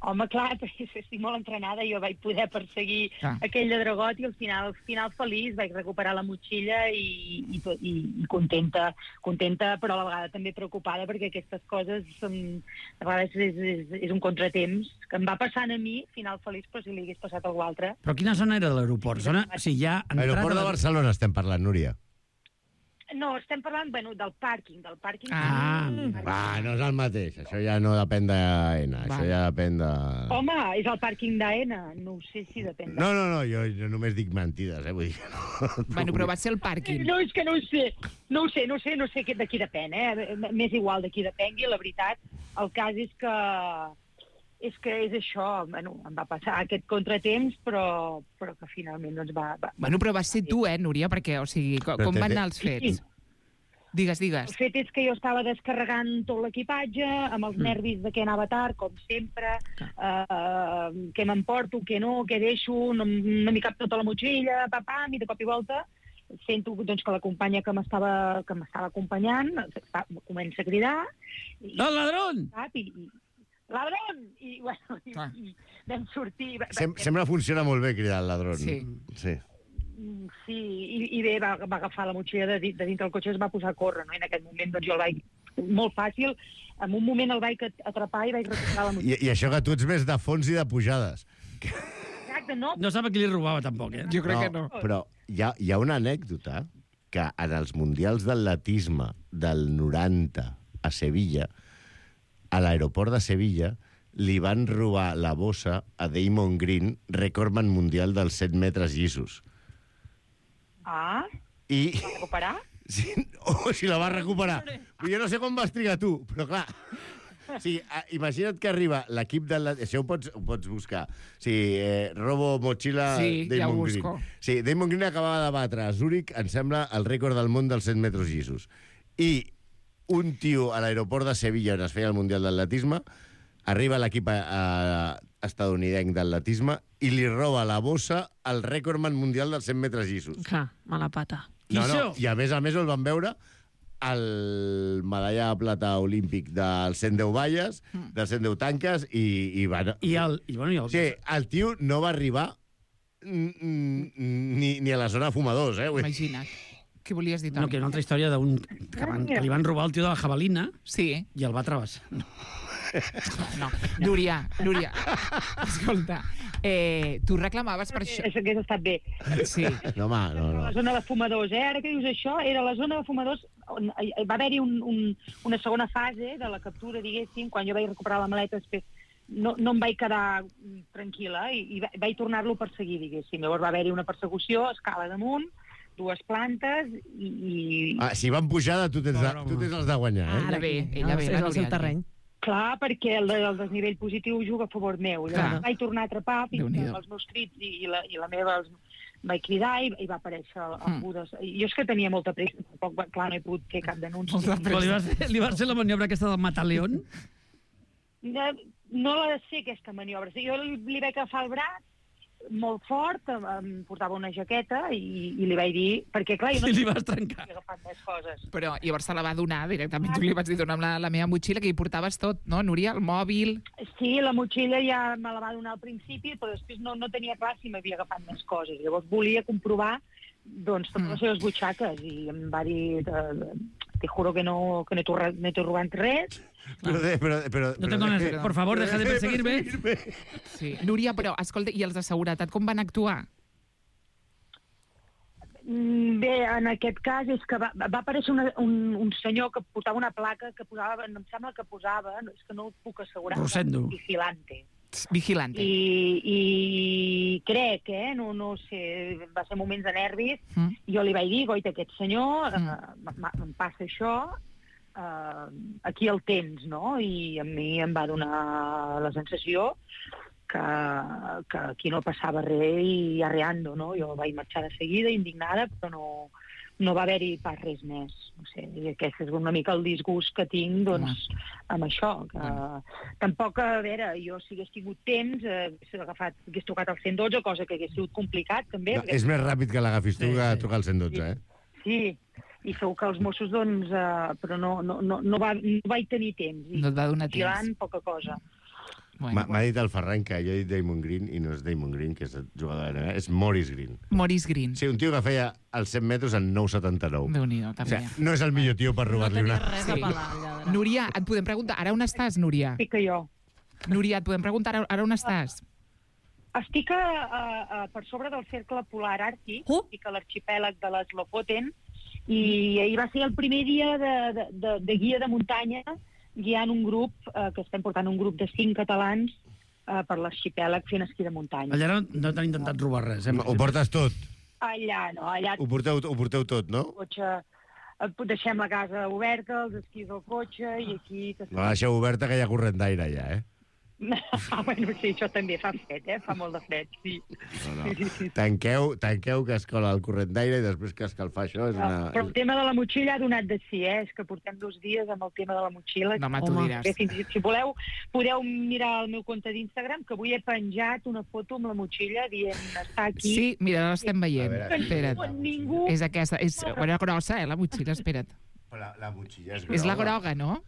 Home, clar, estic molt entrenada. Jo vaig poder perseguir Ah. aquell lladregot i al final, al final feliç vaig recuperar la motxilla i, i, i, i contenta, contenta, però a la vegada també preocupada perquè aquestes coses són, a vegades és, és, és un contratemps que em va passant a mi, final feliç, però si li hagués passat a algú altre. Però quina zona era de l'aeroport? Zona... O sigui, ja entrada... Aeroport de Barcelona estem parlant, Núria. No, estem parlant, bueno, del pàrquing, del pàrquing. Ah, Va, no és el mateix. Això ja no depèn d'AENA. Això ja depèn de... Home, és el pàrquing d'AENA, no ho sé si depèn. No, no, no, jo, jo només dic mentides, eh? Vull dir que no... Bueno, però va ser el pàrquing. No, és que no ho sé, no ho sé, no ho sé, no sé de qui depèn, eh? M'és igual de qui depengui, la veritat. El cas és que és que és això, bueno, em va passar aquest contratemps, però, però que finalment doncs va... va Bueno, però va ser tu, eh, Núria? Perquè, o sigui, com, Però com te- van anar els fets? Digues, digues. El fet és que jo estava descarregant tot l'equipatge, amb els nervis de que anava tard, com sempre, uh, què m'emporto, què no, què deixo, no, no m'hi cap tota la motxilla, papam, i de cop i volta sento doncs, que la companya que m'estava que m'estava acompanyant fa, comença a cridar. I, ¡El ladrón! sap, i, i, ladrón! I, bueno, i, Ah. i vam sortir... Sem sempre funciona molt bé cridar el ladrón. Sí. Sí. Mm, Sí, i, i bé, va, va agafar la motxilla de, di- de dintre del cotxe i es va posar a córrer, no? I en aquest moment doncs, jo el vaig... Molt fàcil, en un moment el vaig at- atrapar i vaig recuperar la I, motxilla. I això que tu ets més de fons i de pujades. Exacte, no? No sap a qui li robava, tampoc, eh? Jo crec que no. Però hi ha, hi ha una anècdota que en els mundials d'atletisme del noranta a Sevilla, a l'aeroport de Sevilla, li van robar la bossa a Damon Green, recordman mundial dels set metres llisos. Ah, I... va recuperar? Sí, o si la vas recuperar. Jo no sé com vas trigar tu, però clar... Sí, a- imagina't que arriba l'equip de la... Això ho pots, ho pots buscar. Sí, eh, robo motxilla Sí, ja ho Damon busco. Green. Sí, Damon Green acabava de batre a Zúrich, em sembla, el rècord del món dels set metres llisos. I un tio a l'aeroport de Sevilla, on es feia el Mundial d'Atletisme, arriba l'equip eh, estadounidenc d'atletisme i li roba la bossa al rècordman mundial dels cent metres llisos. Clar, mala pata. No, no, Quixó. i a més a més el van veure el medalla de plata olímpic dels cent deu valles, dels cent deu tanques, i, i van... I el... I, bueno, i el... Sí, el tio no va arribar mm, mm, ni, ni a la zona fumadors, eh? Vull dir. Imagina't. Què volies dir, No, Toni? que una altra història d'un... Que, van, que li van robar el tio de la jabalina Sí, i el va travessar. No. no. Núria, Núria, escolta, eh, tu reclamaves per això... Això hagués estat bé. Sí. No, home, no, La no. zona de fumadors, eh? Ara que dius això, era la zona de fumadors on hi- va haver-hi un, un, una segona fase de la captura, diguéssim, quan jo vaig recuperar la maleta després. No, no em vaig quedar mm, tranquil·la i, i va- vaig tornar-lo a perseguir, diguéssim. Llavors va haver-hi una persecució, escala damunt, dues plantes i... i... Ah, si van pujada, tu tens, de, Pobre tu home. tens els de guanyar, eh? Ara bé, ella bé, és la el seu Núria. terreny. Clar, perquè el, el desnivell positiu juga a favor meu. Llavors Clar. vaig tornar a atrapar fins que Déu-n'hi-do. amb els meus crits i, i, la, i la meva els, vaig cridar i, i va aparèixer el, el Mm. Budes. Jo és que tenia molta pressa, tampoc, va- clar, no he pogut fer cap denúncia. Molta Però li va, ser, li va ser la maniobra aquesta del mataleón? No, no la sé, aquesta maniobra. Sí, jo li, li vaig agafar el braç molt fort, em, em portava una jaqueta i, i li vaig dir... Perquè, clar, jo no I li havia vas trencar. agafat més coses. Però llavors se la va donar directament. Tu li vas dir, dona'm la, la meva motxilla, que hi portaves tot, no, Núria? El mòbil... Sí, la motxilla ja me la va donar al principi, però després no, no tenia clar si m'havia agafat més coses. Llavors volia comprovar doncs, totes les seves butxaques i em va dir... eh, Te juro que no, que no t'ho ro- no t'he robat res. Però, de, però, però, No tengo però, nada. Por favor, deja de perseguirme. Sí. Núria, però, escolta, i els de seguretat com van actuar? Mm, Bé, en aquest cas és que va, va aparèixer una, un, un senyor que portava una placa que posava, em sembla que posava, no, és que no ho puc assegurar, Rosendo. vigilante. Vigilante. I, i crec, eh, no, no sé, va ser moments de nervis, mm. jo li vaig dir, goita, aquest senyor, mm. eh, em passa això, eh, aquí el tens, no? I a mi em va donar la sensació que, que aquí no passava res i arreando, no? Jo vaig marxar de seguida, indignada, però no... no va haver-hi pas res més. No sé, i aquest és una mica el disgust que tinc, doncs, amb això. Que... Mm. Tampoc, a veure, jo si hagués tingut temps, eh, hagués, agafat, hagués trucat al cent dotze, cosa que hagués sigut complicat, també. No, perquè... És més ràpid que l'agafis tu sí, que sí. trucar al cent dotze, eh? Sí, i segur que els Mossos, doncs, eh, però no, no, no, no, va, no vaig tenir temps. I no et va donar temps. Vigilant, poca cosa. M'ha bueno. dit el Ferran que jo he dit Damon Green i no és Damon Green, que és el jugador de N B A, és Maurice Green. Maurice Green. Sí, un tio que feia els cent metres en nou setanta-nou. Déu-n'hi-do, també. O sigui, no és el millor tio per robar-li no una... res sí. a pelar, allà. Núria, et podem preguntar, ara on estàs, Núria? Sí que jo. Núria, et podem preguntar, ara, ara on estàs? Estic a, a, a, per sobre del cercle polar àrtic, uh? estic a l'arxipèlag de les Lofoten, i ahir va ser el primer dia de, de, de, de guia de muntanya, guiant un grup, eh, que estem portant un grup de cinc catalans, Uh, per l'arxipèlag fent esquí de muntanya. Allà no, no t'han intentat robar res, eh? Ho portes tot? Allà no, allà... Ho porteu, ho porteu tot, no? Cotxe, deixem la casa oberta, els esquís al cotxe i aquí... No la deixeu oberta que hi ha corrent d'aire allà, eh? Ah, bueno, sí, això també fa fred, eh? Fa molt de fred, sí. No, no. Sí, sí, sí. Tanqueu, tanqueu que escola el corrent d'aire i després que escalfar això és una... No, però el tema de la motxilla ha donat de si, eh? És que portem dos dies amb el tema de la motxilla. No, home, tu diràs. Si, si voleu, podeu mirar el meu compte d'Instagram, que avui he penjat una foto amb la motxilla dient està aquí. Sí, mira, l'estem veient. Veure, espera't. Ningú... És aquesta, és bueno, grossa, eh, la motxilla, espera't. Però la, la motxilla és groga. És la groga, no?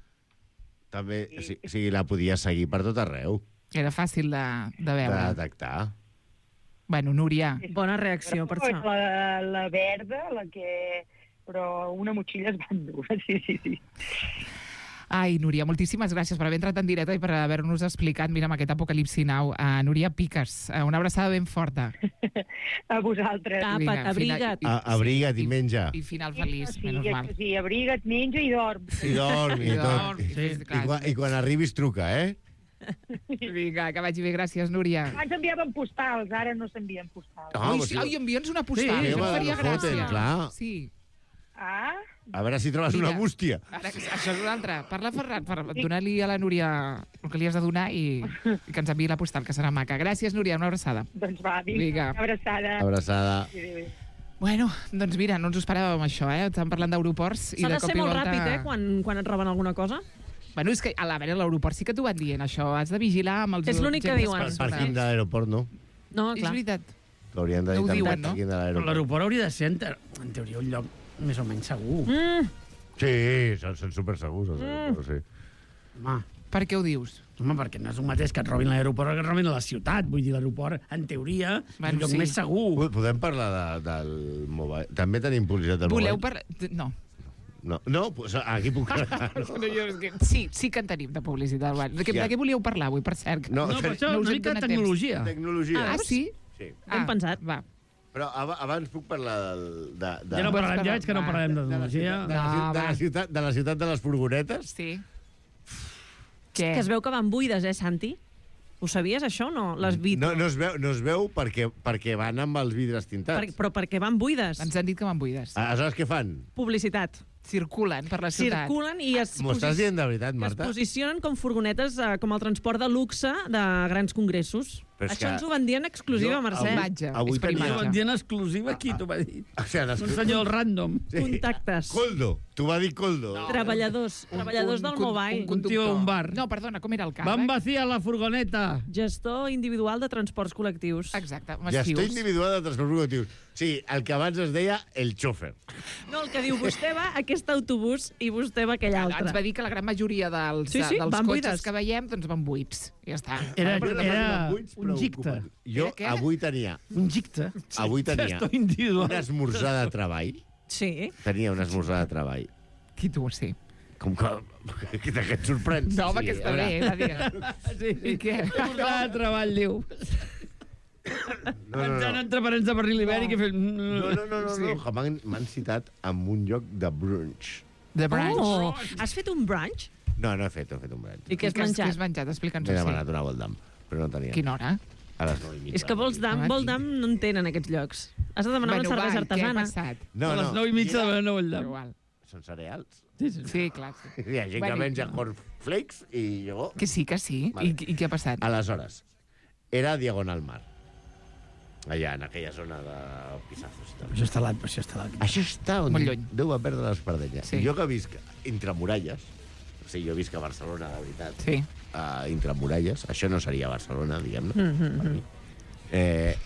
També, o sigui, o sigui, la podies seguir per tot arreu. Era fàcil de, de veure. De detectar. Bueno, Núria. Bona reacció, per això. La, la verda, la que... Però una motxilla es va endur, sí, sí, sí. Ai, Núria, moltíssimes gràcies per haver entrat en directe i per haver-nos explicat, mira, amb aquest Apocalipsi Now. Uh, Núria Piques, uh, una abraçada ben forta. A vosaltres. Tapa't, abriga't. A, abriga't i, i menja. I final feliç, sí, menys sí, mal. Sí, abriga't, menja i dorm. I dorm, i, I tot. dorm, Sí. sí, clar. I, quan, I quan arribis truca, eh? Vinga, que vagi bé, gràcies, Núria. Abans enviaven postals, ara no s'envien postals. Ah, Ui, pues sí, sí. ai, envia'ns una postal, Sí, això em home, faria no foten, gràcia. clar. Sí. Ah? A veure si trobes Mira, una bústia. Ara, això és una altra. Parla, Ferran, per donar-li a la Núria el que li has de donar i, i que ens enviï la postal, que serà maca. Gràcies, Núria, una abraçada. Doncs va, vinga, Vinga. una abraçada. Abraçada. Bueno, doncs mira, no ens ho esperàvem això, eh? Estàvem parlant d'aeroports i S'ha de de cop ser i molt volta... ràpid, eh, quan, quan et roben alguna cosa. Bueno, és que a la veure, a l'aeroport sí que t'ho van dient, això. Has de vigilar amb els... És l'únic que diuen. El pàrquing de l'aeroport, no? No, És clar. veritat. Que haurien de dir No ho també diuen, el no? pàrquing de Però l'aeroport. l'aeroport hauria de ser, en, te... en teoria, un lloc més o menys segur. Mm. Sí, són, són supersegurs, els aeroports, sí. Home, Per què ho dius? home, perquè no és un mateix que et robin l'aeroport que et robin a la ciutat. Vull dir, l'aeroport, en teoria, és Bueno, un lloc sí. més segur. Po- Podem parlar de, del mobile? També tenim publicitat del Voleu mobile? parlar... No. No, no pues aquí puc... No, jo, és que... Sí, sí que en tenim de publicitat. Bueno, de, què, Ja. de què volíeu parlar avui, per cert? No, No, però això, no us una hem mica de donat tecnologia. Tecnologia. Ah, sí? Sí. Ben pensat. Va. Però ab abans puc parlar del... De, de, Ja no parlarem, ja veig que no Va. parlarem de de, la tecnologia. ciutat, de, la, No, ciutat, de, va. la ciutat, de la ciutat de les furgonetes. Sí. Què? Que es veu que van buides, eh, Santi? Ho sabies, això, o no? Les vit... No, no es veu, no es veu perquè, perquè van amb els vidres per, tintats. però perquè van buides. Ens han dit que van buides. Aleshores, què fan? Publicitat. Circulen per la ciutat. Circulen i es, M'ho estàs posi- dient de veritat, que es Marta? posicionen com furgonetes, eh, com el transport de luxe de grans congressos. Però és Això que ens ho van dir en exclusiva, jo Mercè. avui- Imatge. avui és per tenia- Ho imatge. van dir en exclusiva, qui t'ho va dir? O sigui, les... Un senyor random. Contactes. Coldo. T'ho va dir Coldo. No. Treballadors. Treballadors del con- mobile. Un conductor. Un tio a un bar. No, perdona, com era el càrrec? Van vaciar la furgoneta. Gestor individual de transports col·lectius. Exacte, Gestor massius. individual de transport col·lectius. Sí, el que abans es deia el xòfer. No, el que diu, vostè va a aquest autobús i vostè va a aquell Ens altre. va dir que la gran majoria dels, Sí, sí, dels van cotxes buides. que veiem doncs van buits. Ja està. Era, Però la era pàgina buits, un però gicte. ocupen. Jo Era què? avui tenia, Un gicte. avui tenia Gestor individual. un esmorzar de treball. Sí. Tenia un esmorzar de treball. Qui tu, sí. Com que... que que et sorprens? No, home, que està a veure, bé, va dir. Sí. I què? Esmorzar de treball, diu. No, no, Entrant no. entre parents de barril ibèric i fent... No, no, no, no, Sí. no. que M'han m'han citat en un lloc de brunch. The Branch. Oh, has fet un brunch? No, no he fet, no he fet un brunch. I què has Què has, què menjat? has menjat? Explica'ns-ho. M'he Sí. demanat una Voldam. però no tenien. Quina hora? A les nou i mitja. És que vols dam, vol dam no en tenen aquests llocs. Has de demanar Bueno, una cervesa va, i què ha artesana. passat? No, A les no. nou i mitja de nou el Però llamp. igual. Són cereals. Sí, sí. Sí, clar. Sí. Hi ha gent que Bueno, menja no. cornflakes i jo... Que sí, que sí. Vale. I, I què ha passat? Aleshores, era Diagonal Mar. Allà, en aquella zona de Pissazos. i tal. Això està l'any, això està l'any. Això està on Molt lluny. Déu va perdre l'espardenya. Sí. Sí. Jo que visc entre muralles, o sigui, jo visc a Barcelona, de veritat, Sí. uh, entre muralles, això no seria Barcelona, diguem-ne, Mm, mm, per mm. mi. Eh,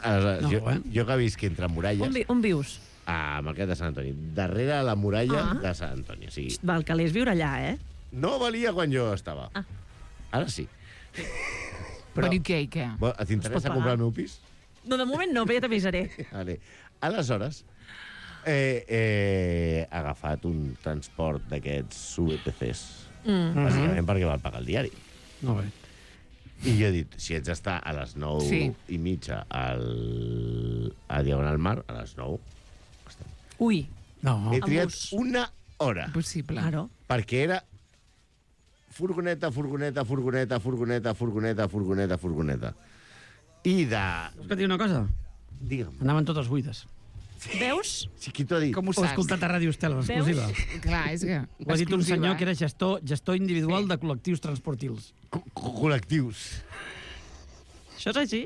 aleshores, No, jo, eh? jo que visc entre On, muralles, vi, on vius? a Marquet de Sant Antoni, darrere la muralla Ah. de Sant Antoni. O sigui, Xt, val, calés viure allà, eh? no valia quan jo estava. Ah. Ara sí. Però i què, i què? Bo, t'interessa pagar. comprar el meu pis? No, de moment no, però ja t'avisaré. Vale. Aleshores, eh, eh, he agafat un transport d'aquests U P Cs, Mm. bàsicament perquè val pagar el diari. Molt bé. I jo he dit, si ets d'estar a les nou Sí. i mitja al, a Diagonal Mar, a les nou, estem. Ui, No, He triat bus. una hora, Impossible. claro. perquè era furgoneta, furgoneta, furgoneta, furgoneta, furgoneta, furgoneta, furgoneta. I de... vols que et digui una cosa? Digue'm, Anaven totes buides. Veus? si qui t'ho ha dit? Com ho Ho he saps? escoltat a Ràdio Estel, en exclusiva. Clar, és que... Ho ha dit un exclusiva, senyor eh? que era gestor, gestor individual de col·lectius transportils. Co co col·lectius. Això és així?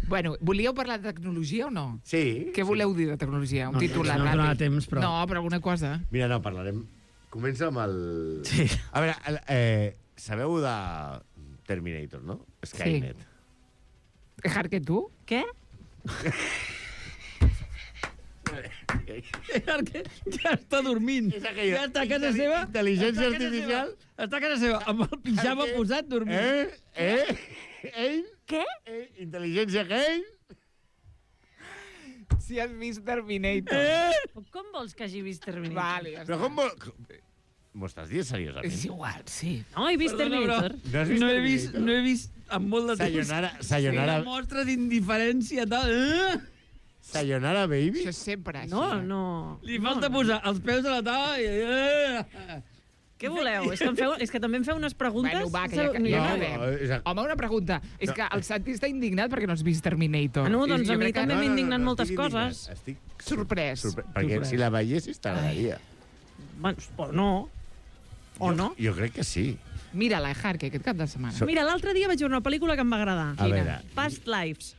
Bueno, volíeu parlar de tecnologia o no? Sí. Què voleu dir de tecnologia? Un No, titular no ràpid. donava temps, però- No, però alguna cosa. Mira, no, parlarem... Comença amb el... Sí. A veure, el, eh, sabeu de Terminator, no? Skynet. Dejar que tu? Què? Perquè ja està dormint. És aquella Ja està a casa seva. intel·ligència està a casa artificial. seva, Està a casa seva, amb el pijama Perquè- posat, dormint. Eh? Eh? Ell? Què? Eh? Intel·ligència que ell? Si has vist Terminator. Eh? Com vols que hagi vist Terminator? Vale, ja Però està. com vol... M'ho estàs dient seriosament? És igual, sí. No, he vist Perdona, però Terminator. No has vist no he Terminator? vist, no he vist en molt de temps. Sayonara, sayonara, Una mostra d'indiferència tal. Eh? sayonara, baby? Això és sempre així. No, eh? no. Li falta posar els peus a la taula i... Eh? Què voleu? És que, em feu, és que també em feu unes preguntes... Bueno, va, que ja, No, ja No, acabem. no, és a- Home, una pregunta. És que el Santi està indignat perquè no has vist Terminator. Ah, no, I doncs jo a mi crec que- també m'he indignat moltes estic indignat. coses. Estic Sorprès. sorprès. Perquè Sorprès. si la veiessis t'agradaria. Bueno, o no. O Jo- no. Jo crec que sí. Mira-la, Harke, aquest cap de setmana. So- Mira, l'altre dia vaig veure una pel·lícula que em va agradar. A veure, Past Lives.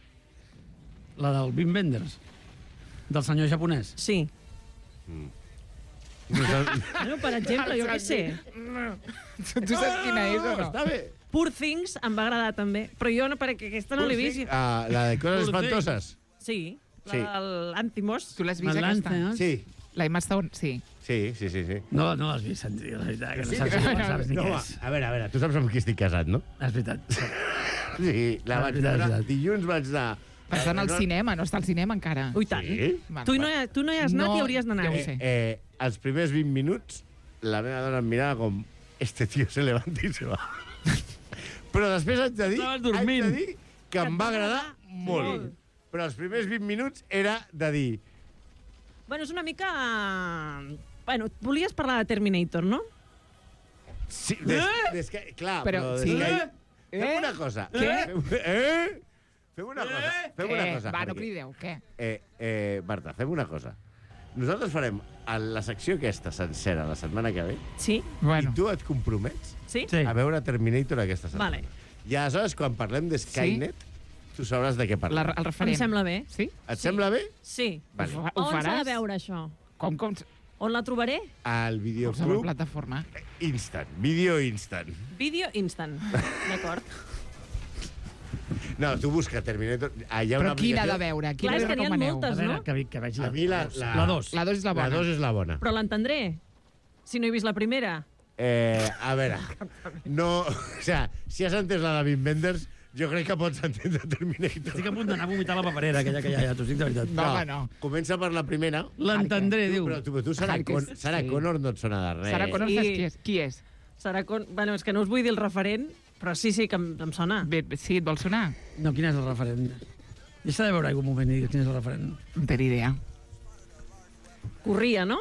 La del Wim Wenders. Del senyor japonès. Sí. Bueno, per exemple, jo què sé. Tu saps quina és o no? Està bé. Poor Things em va agradar també, però jo no, perquè aquesta no l'he vist. Ah, la de coses Poor espantoses. Sí, la Sí. del Antimos. Tu l'has vist Malance, aquesta? eh? Sí, La Emma Stone, sí. sí, sí, sí. sí. No, no l'has vist, Santi, la veritat, que no Sí, saps, no, no, saps ni No, què va, és. a veure, a veure, tu saps amb qui estic casat, no? És veritat. Sí, la Ah, vaig veritat, veure, veritat. dilluns vaig anar... Vas anar al cinema, no està al cinema encara. Ui, tant. Sí? Vale, Tu, no, vale. hi- tu no hi has anat No, i hauries d'anar. ja ho Eh, sé. eh, els primers vint minuts, la meva dona em mirava com este tío se levanta i se va. Però després haig de dir, Estaves haig dormint. de dir que em va agradar molt. molt. Però els primers vint minuts era de dir... Bueno, és una mica... Bueno, volies parlar de Terminator, no? Sí, des, des que, clar, Però, però, des sí. que... Eh? Fem una cosa. Què? Fem, eh? Fem una cosa. Fem una Què? cosa. Va, no perquè- crideu, què? Eh, eh, Marta, fem una cosa. Nosaltres farem a la secció aquesta sencera la setmana que ve Sí? Bueno. i tu et compromets Sí? Sí. a veure Terminator aquesta setmana. Vale. I aleshores, quan parlem de Skynet, tu sabràs de què La, parlem. el referent. Em sembla bé. Sí? Et sí. sembla bé? Sí. Vale. Ho, fa, ho On s'ha faràs? de veure, això? Com, com? On la trobaré? Al Qualsevol videoclub plataforma. Instant. Video Instant. Vídeo instant. D'acord. No, tu busca Terminator. Ah, hi ha una Però quina ha de aplicació- veure? Clar, Quina és li que n'hi ha recomaneu? moltes. A veure, no? que, ve- que veig la... A mi la... La dos. La dos és la bona. La dos és la bona. Però l'entendré. Si no he vist la primera. Eh, a veure, no... O sea, si has entès la de Wim Wenders, jo crec que pots entendre Terminator. Estic a punt d'anar a vomitar la paperera, aquella que hi ha, ja, t'ho dic de veritat. No, home, no. Comença per la primera. L'entendré, diu. Però tu, tu Sarah, Harkes, Con Sarah sí. Connor no et sona de res. Sarah Connor, I- saps qui és? Qui és? Serà con... Bueno, és que no us vull dir el referent, però sí, sí, que em, em sona. Bé, bé, sí, et vol sonar? No, quin és el referent? Deixa de veure algun moment i dir quin és el referent. No té ni idea. Corria, no?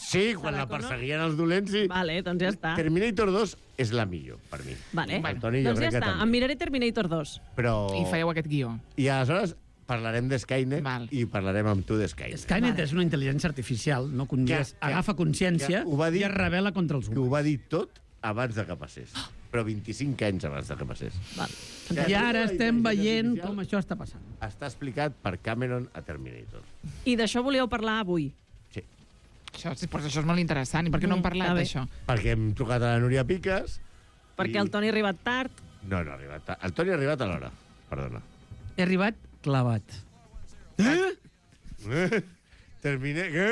Sí, quan la perseguien els dolents, sí. Vale, doncs ja està. Terminator dos és la millor, per mi. Vale. El Toni jo doncs ja crec que està, també. em miraré Terminator dos. Però... I fareu aquest guió. I aleshores parlarem de Skynet Val. i parlarem amb tu de Skynet. Skynet vale. és una intel·ligència artificial, no? Que un dia Que- que- agafa consciència que ho va dir- i es rebel·la contra els Que ho humans. va dir tot abans de que passés. Però vint-i-cinc anys abans de que passés. Val. I ara estem La veient intel·ligència com això està passant. Està explicat per Cameron a Terminator. I d'això volíeu parlar avui. Sí. Això, sí, però això és molt interessant. I per què no hem Mm, parlat està bé. d'això? Perquè hem trucat a la Núria Piques... Perquè i- el Toni ha arribat tard. No, no ha arribat. ta- El Toni ha arribat a l'hora. Perdona. He arribat clavat. Eh? Terminé... Què?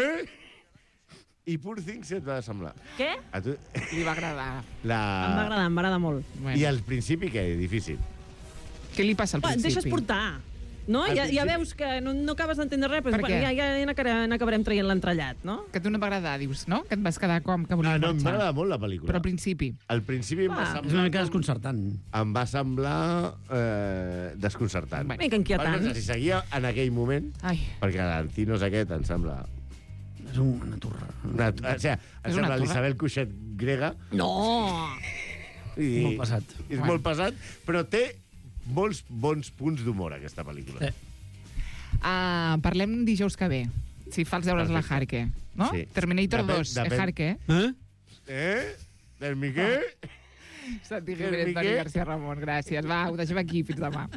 I Poor Things et va semblar? Què? A tu... Li va agradar. La... Em va agradar, em va agradar molt. Bueno. I al principi, què? Difícil. Què li passa al Va, principi? deixes portar. No? Al Ja, ja principi- veus que no, no acabes d'entendre res, però Per què? ja, ja, ja n'acabarem n'acabarem traient l'entrellat, no? Que a tu no t'agrada, dius, no? Que et vas quedar com que volies Ah, no, em va marxar. agradar molt la pel·lícula. Però al principi. Al principi em va Va. semblar... És una mica desconcertant. Em va semblar eh, desconcertant. Bueno. Una mica inquietant. Va, no sé si seguia en aquell moment, Ai, perquè l'Ancinos aquest em sembla... És una turra. Una, o sigui, em una sembla torre. l'Isabel Cuixet grega. No! I, Molt pesat. És Bueno. molt pesat, però té molts bons punts d'humor, aquesta pel·lícula. Eh. uh, parlem dijous que ve. Si fa els deures la Perfecte. Harke. No? Sí. Terminator Depèn- dos, depèn. eh, Harke. Eh? Eh? Del Miquel? Santi Del Jiménez, Toni Miquel? García Ramon, gràcies. Va, ho deixem aquí. Fins demà.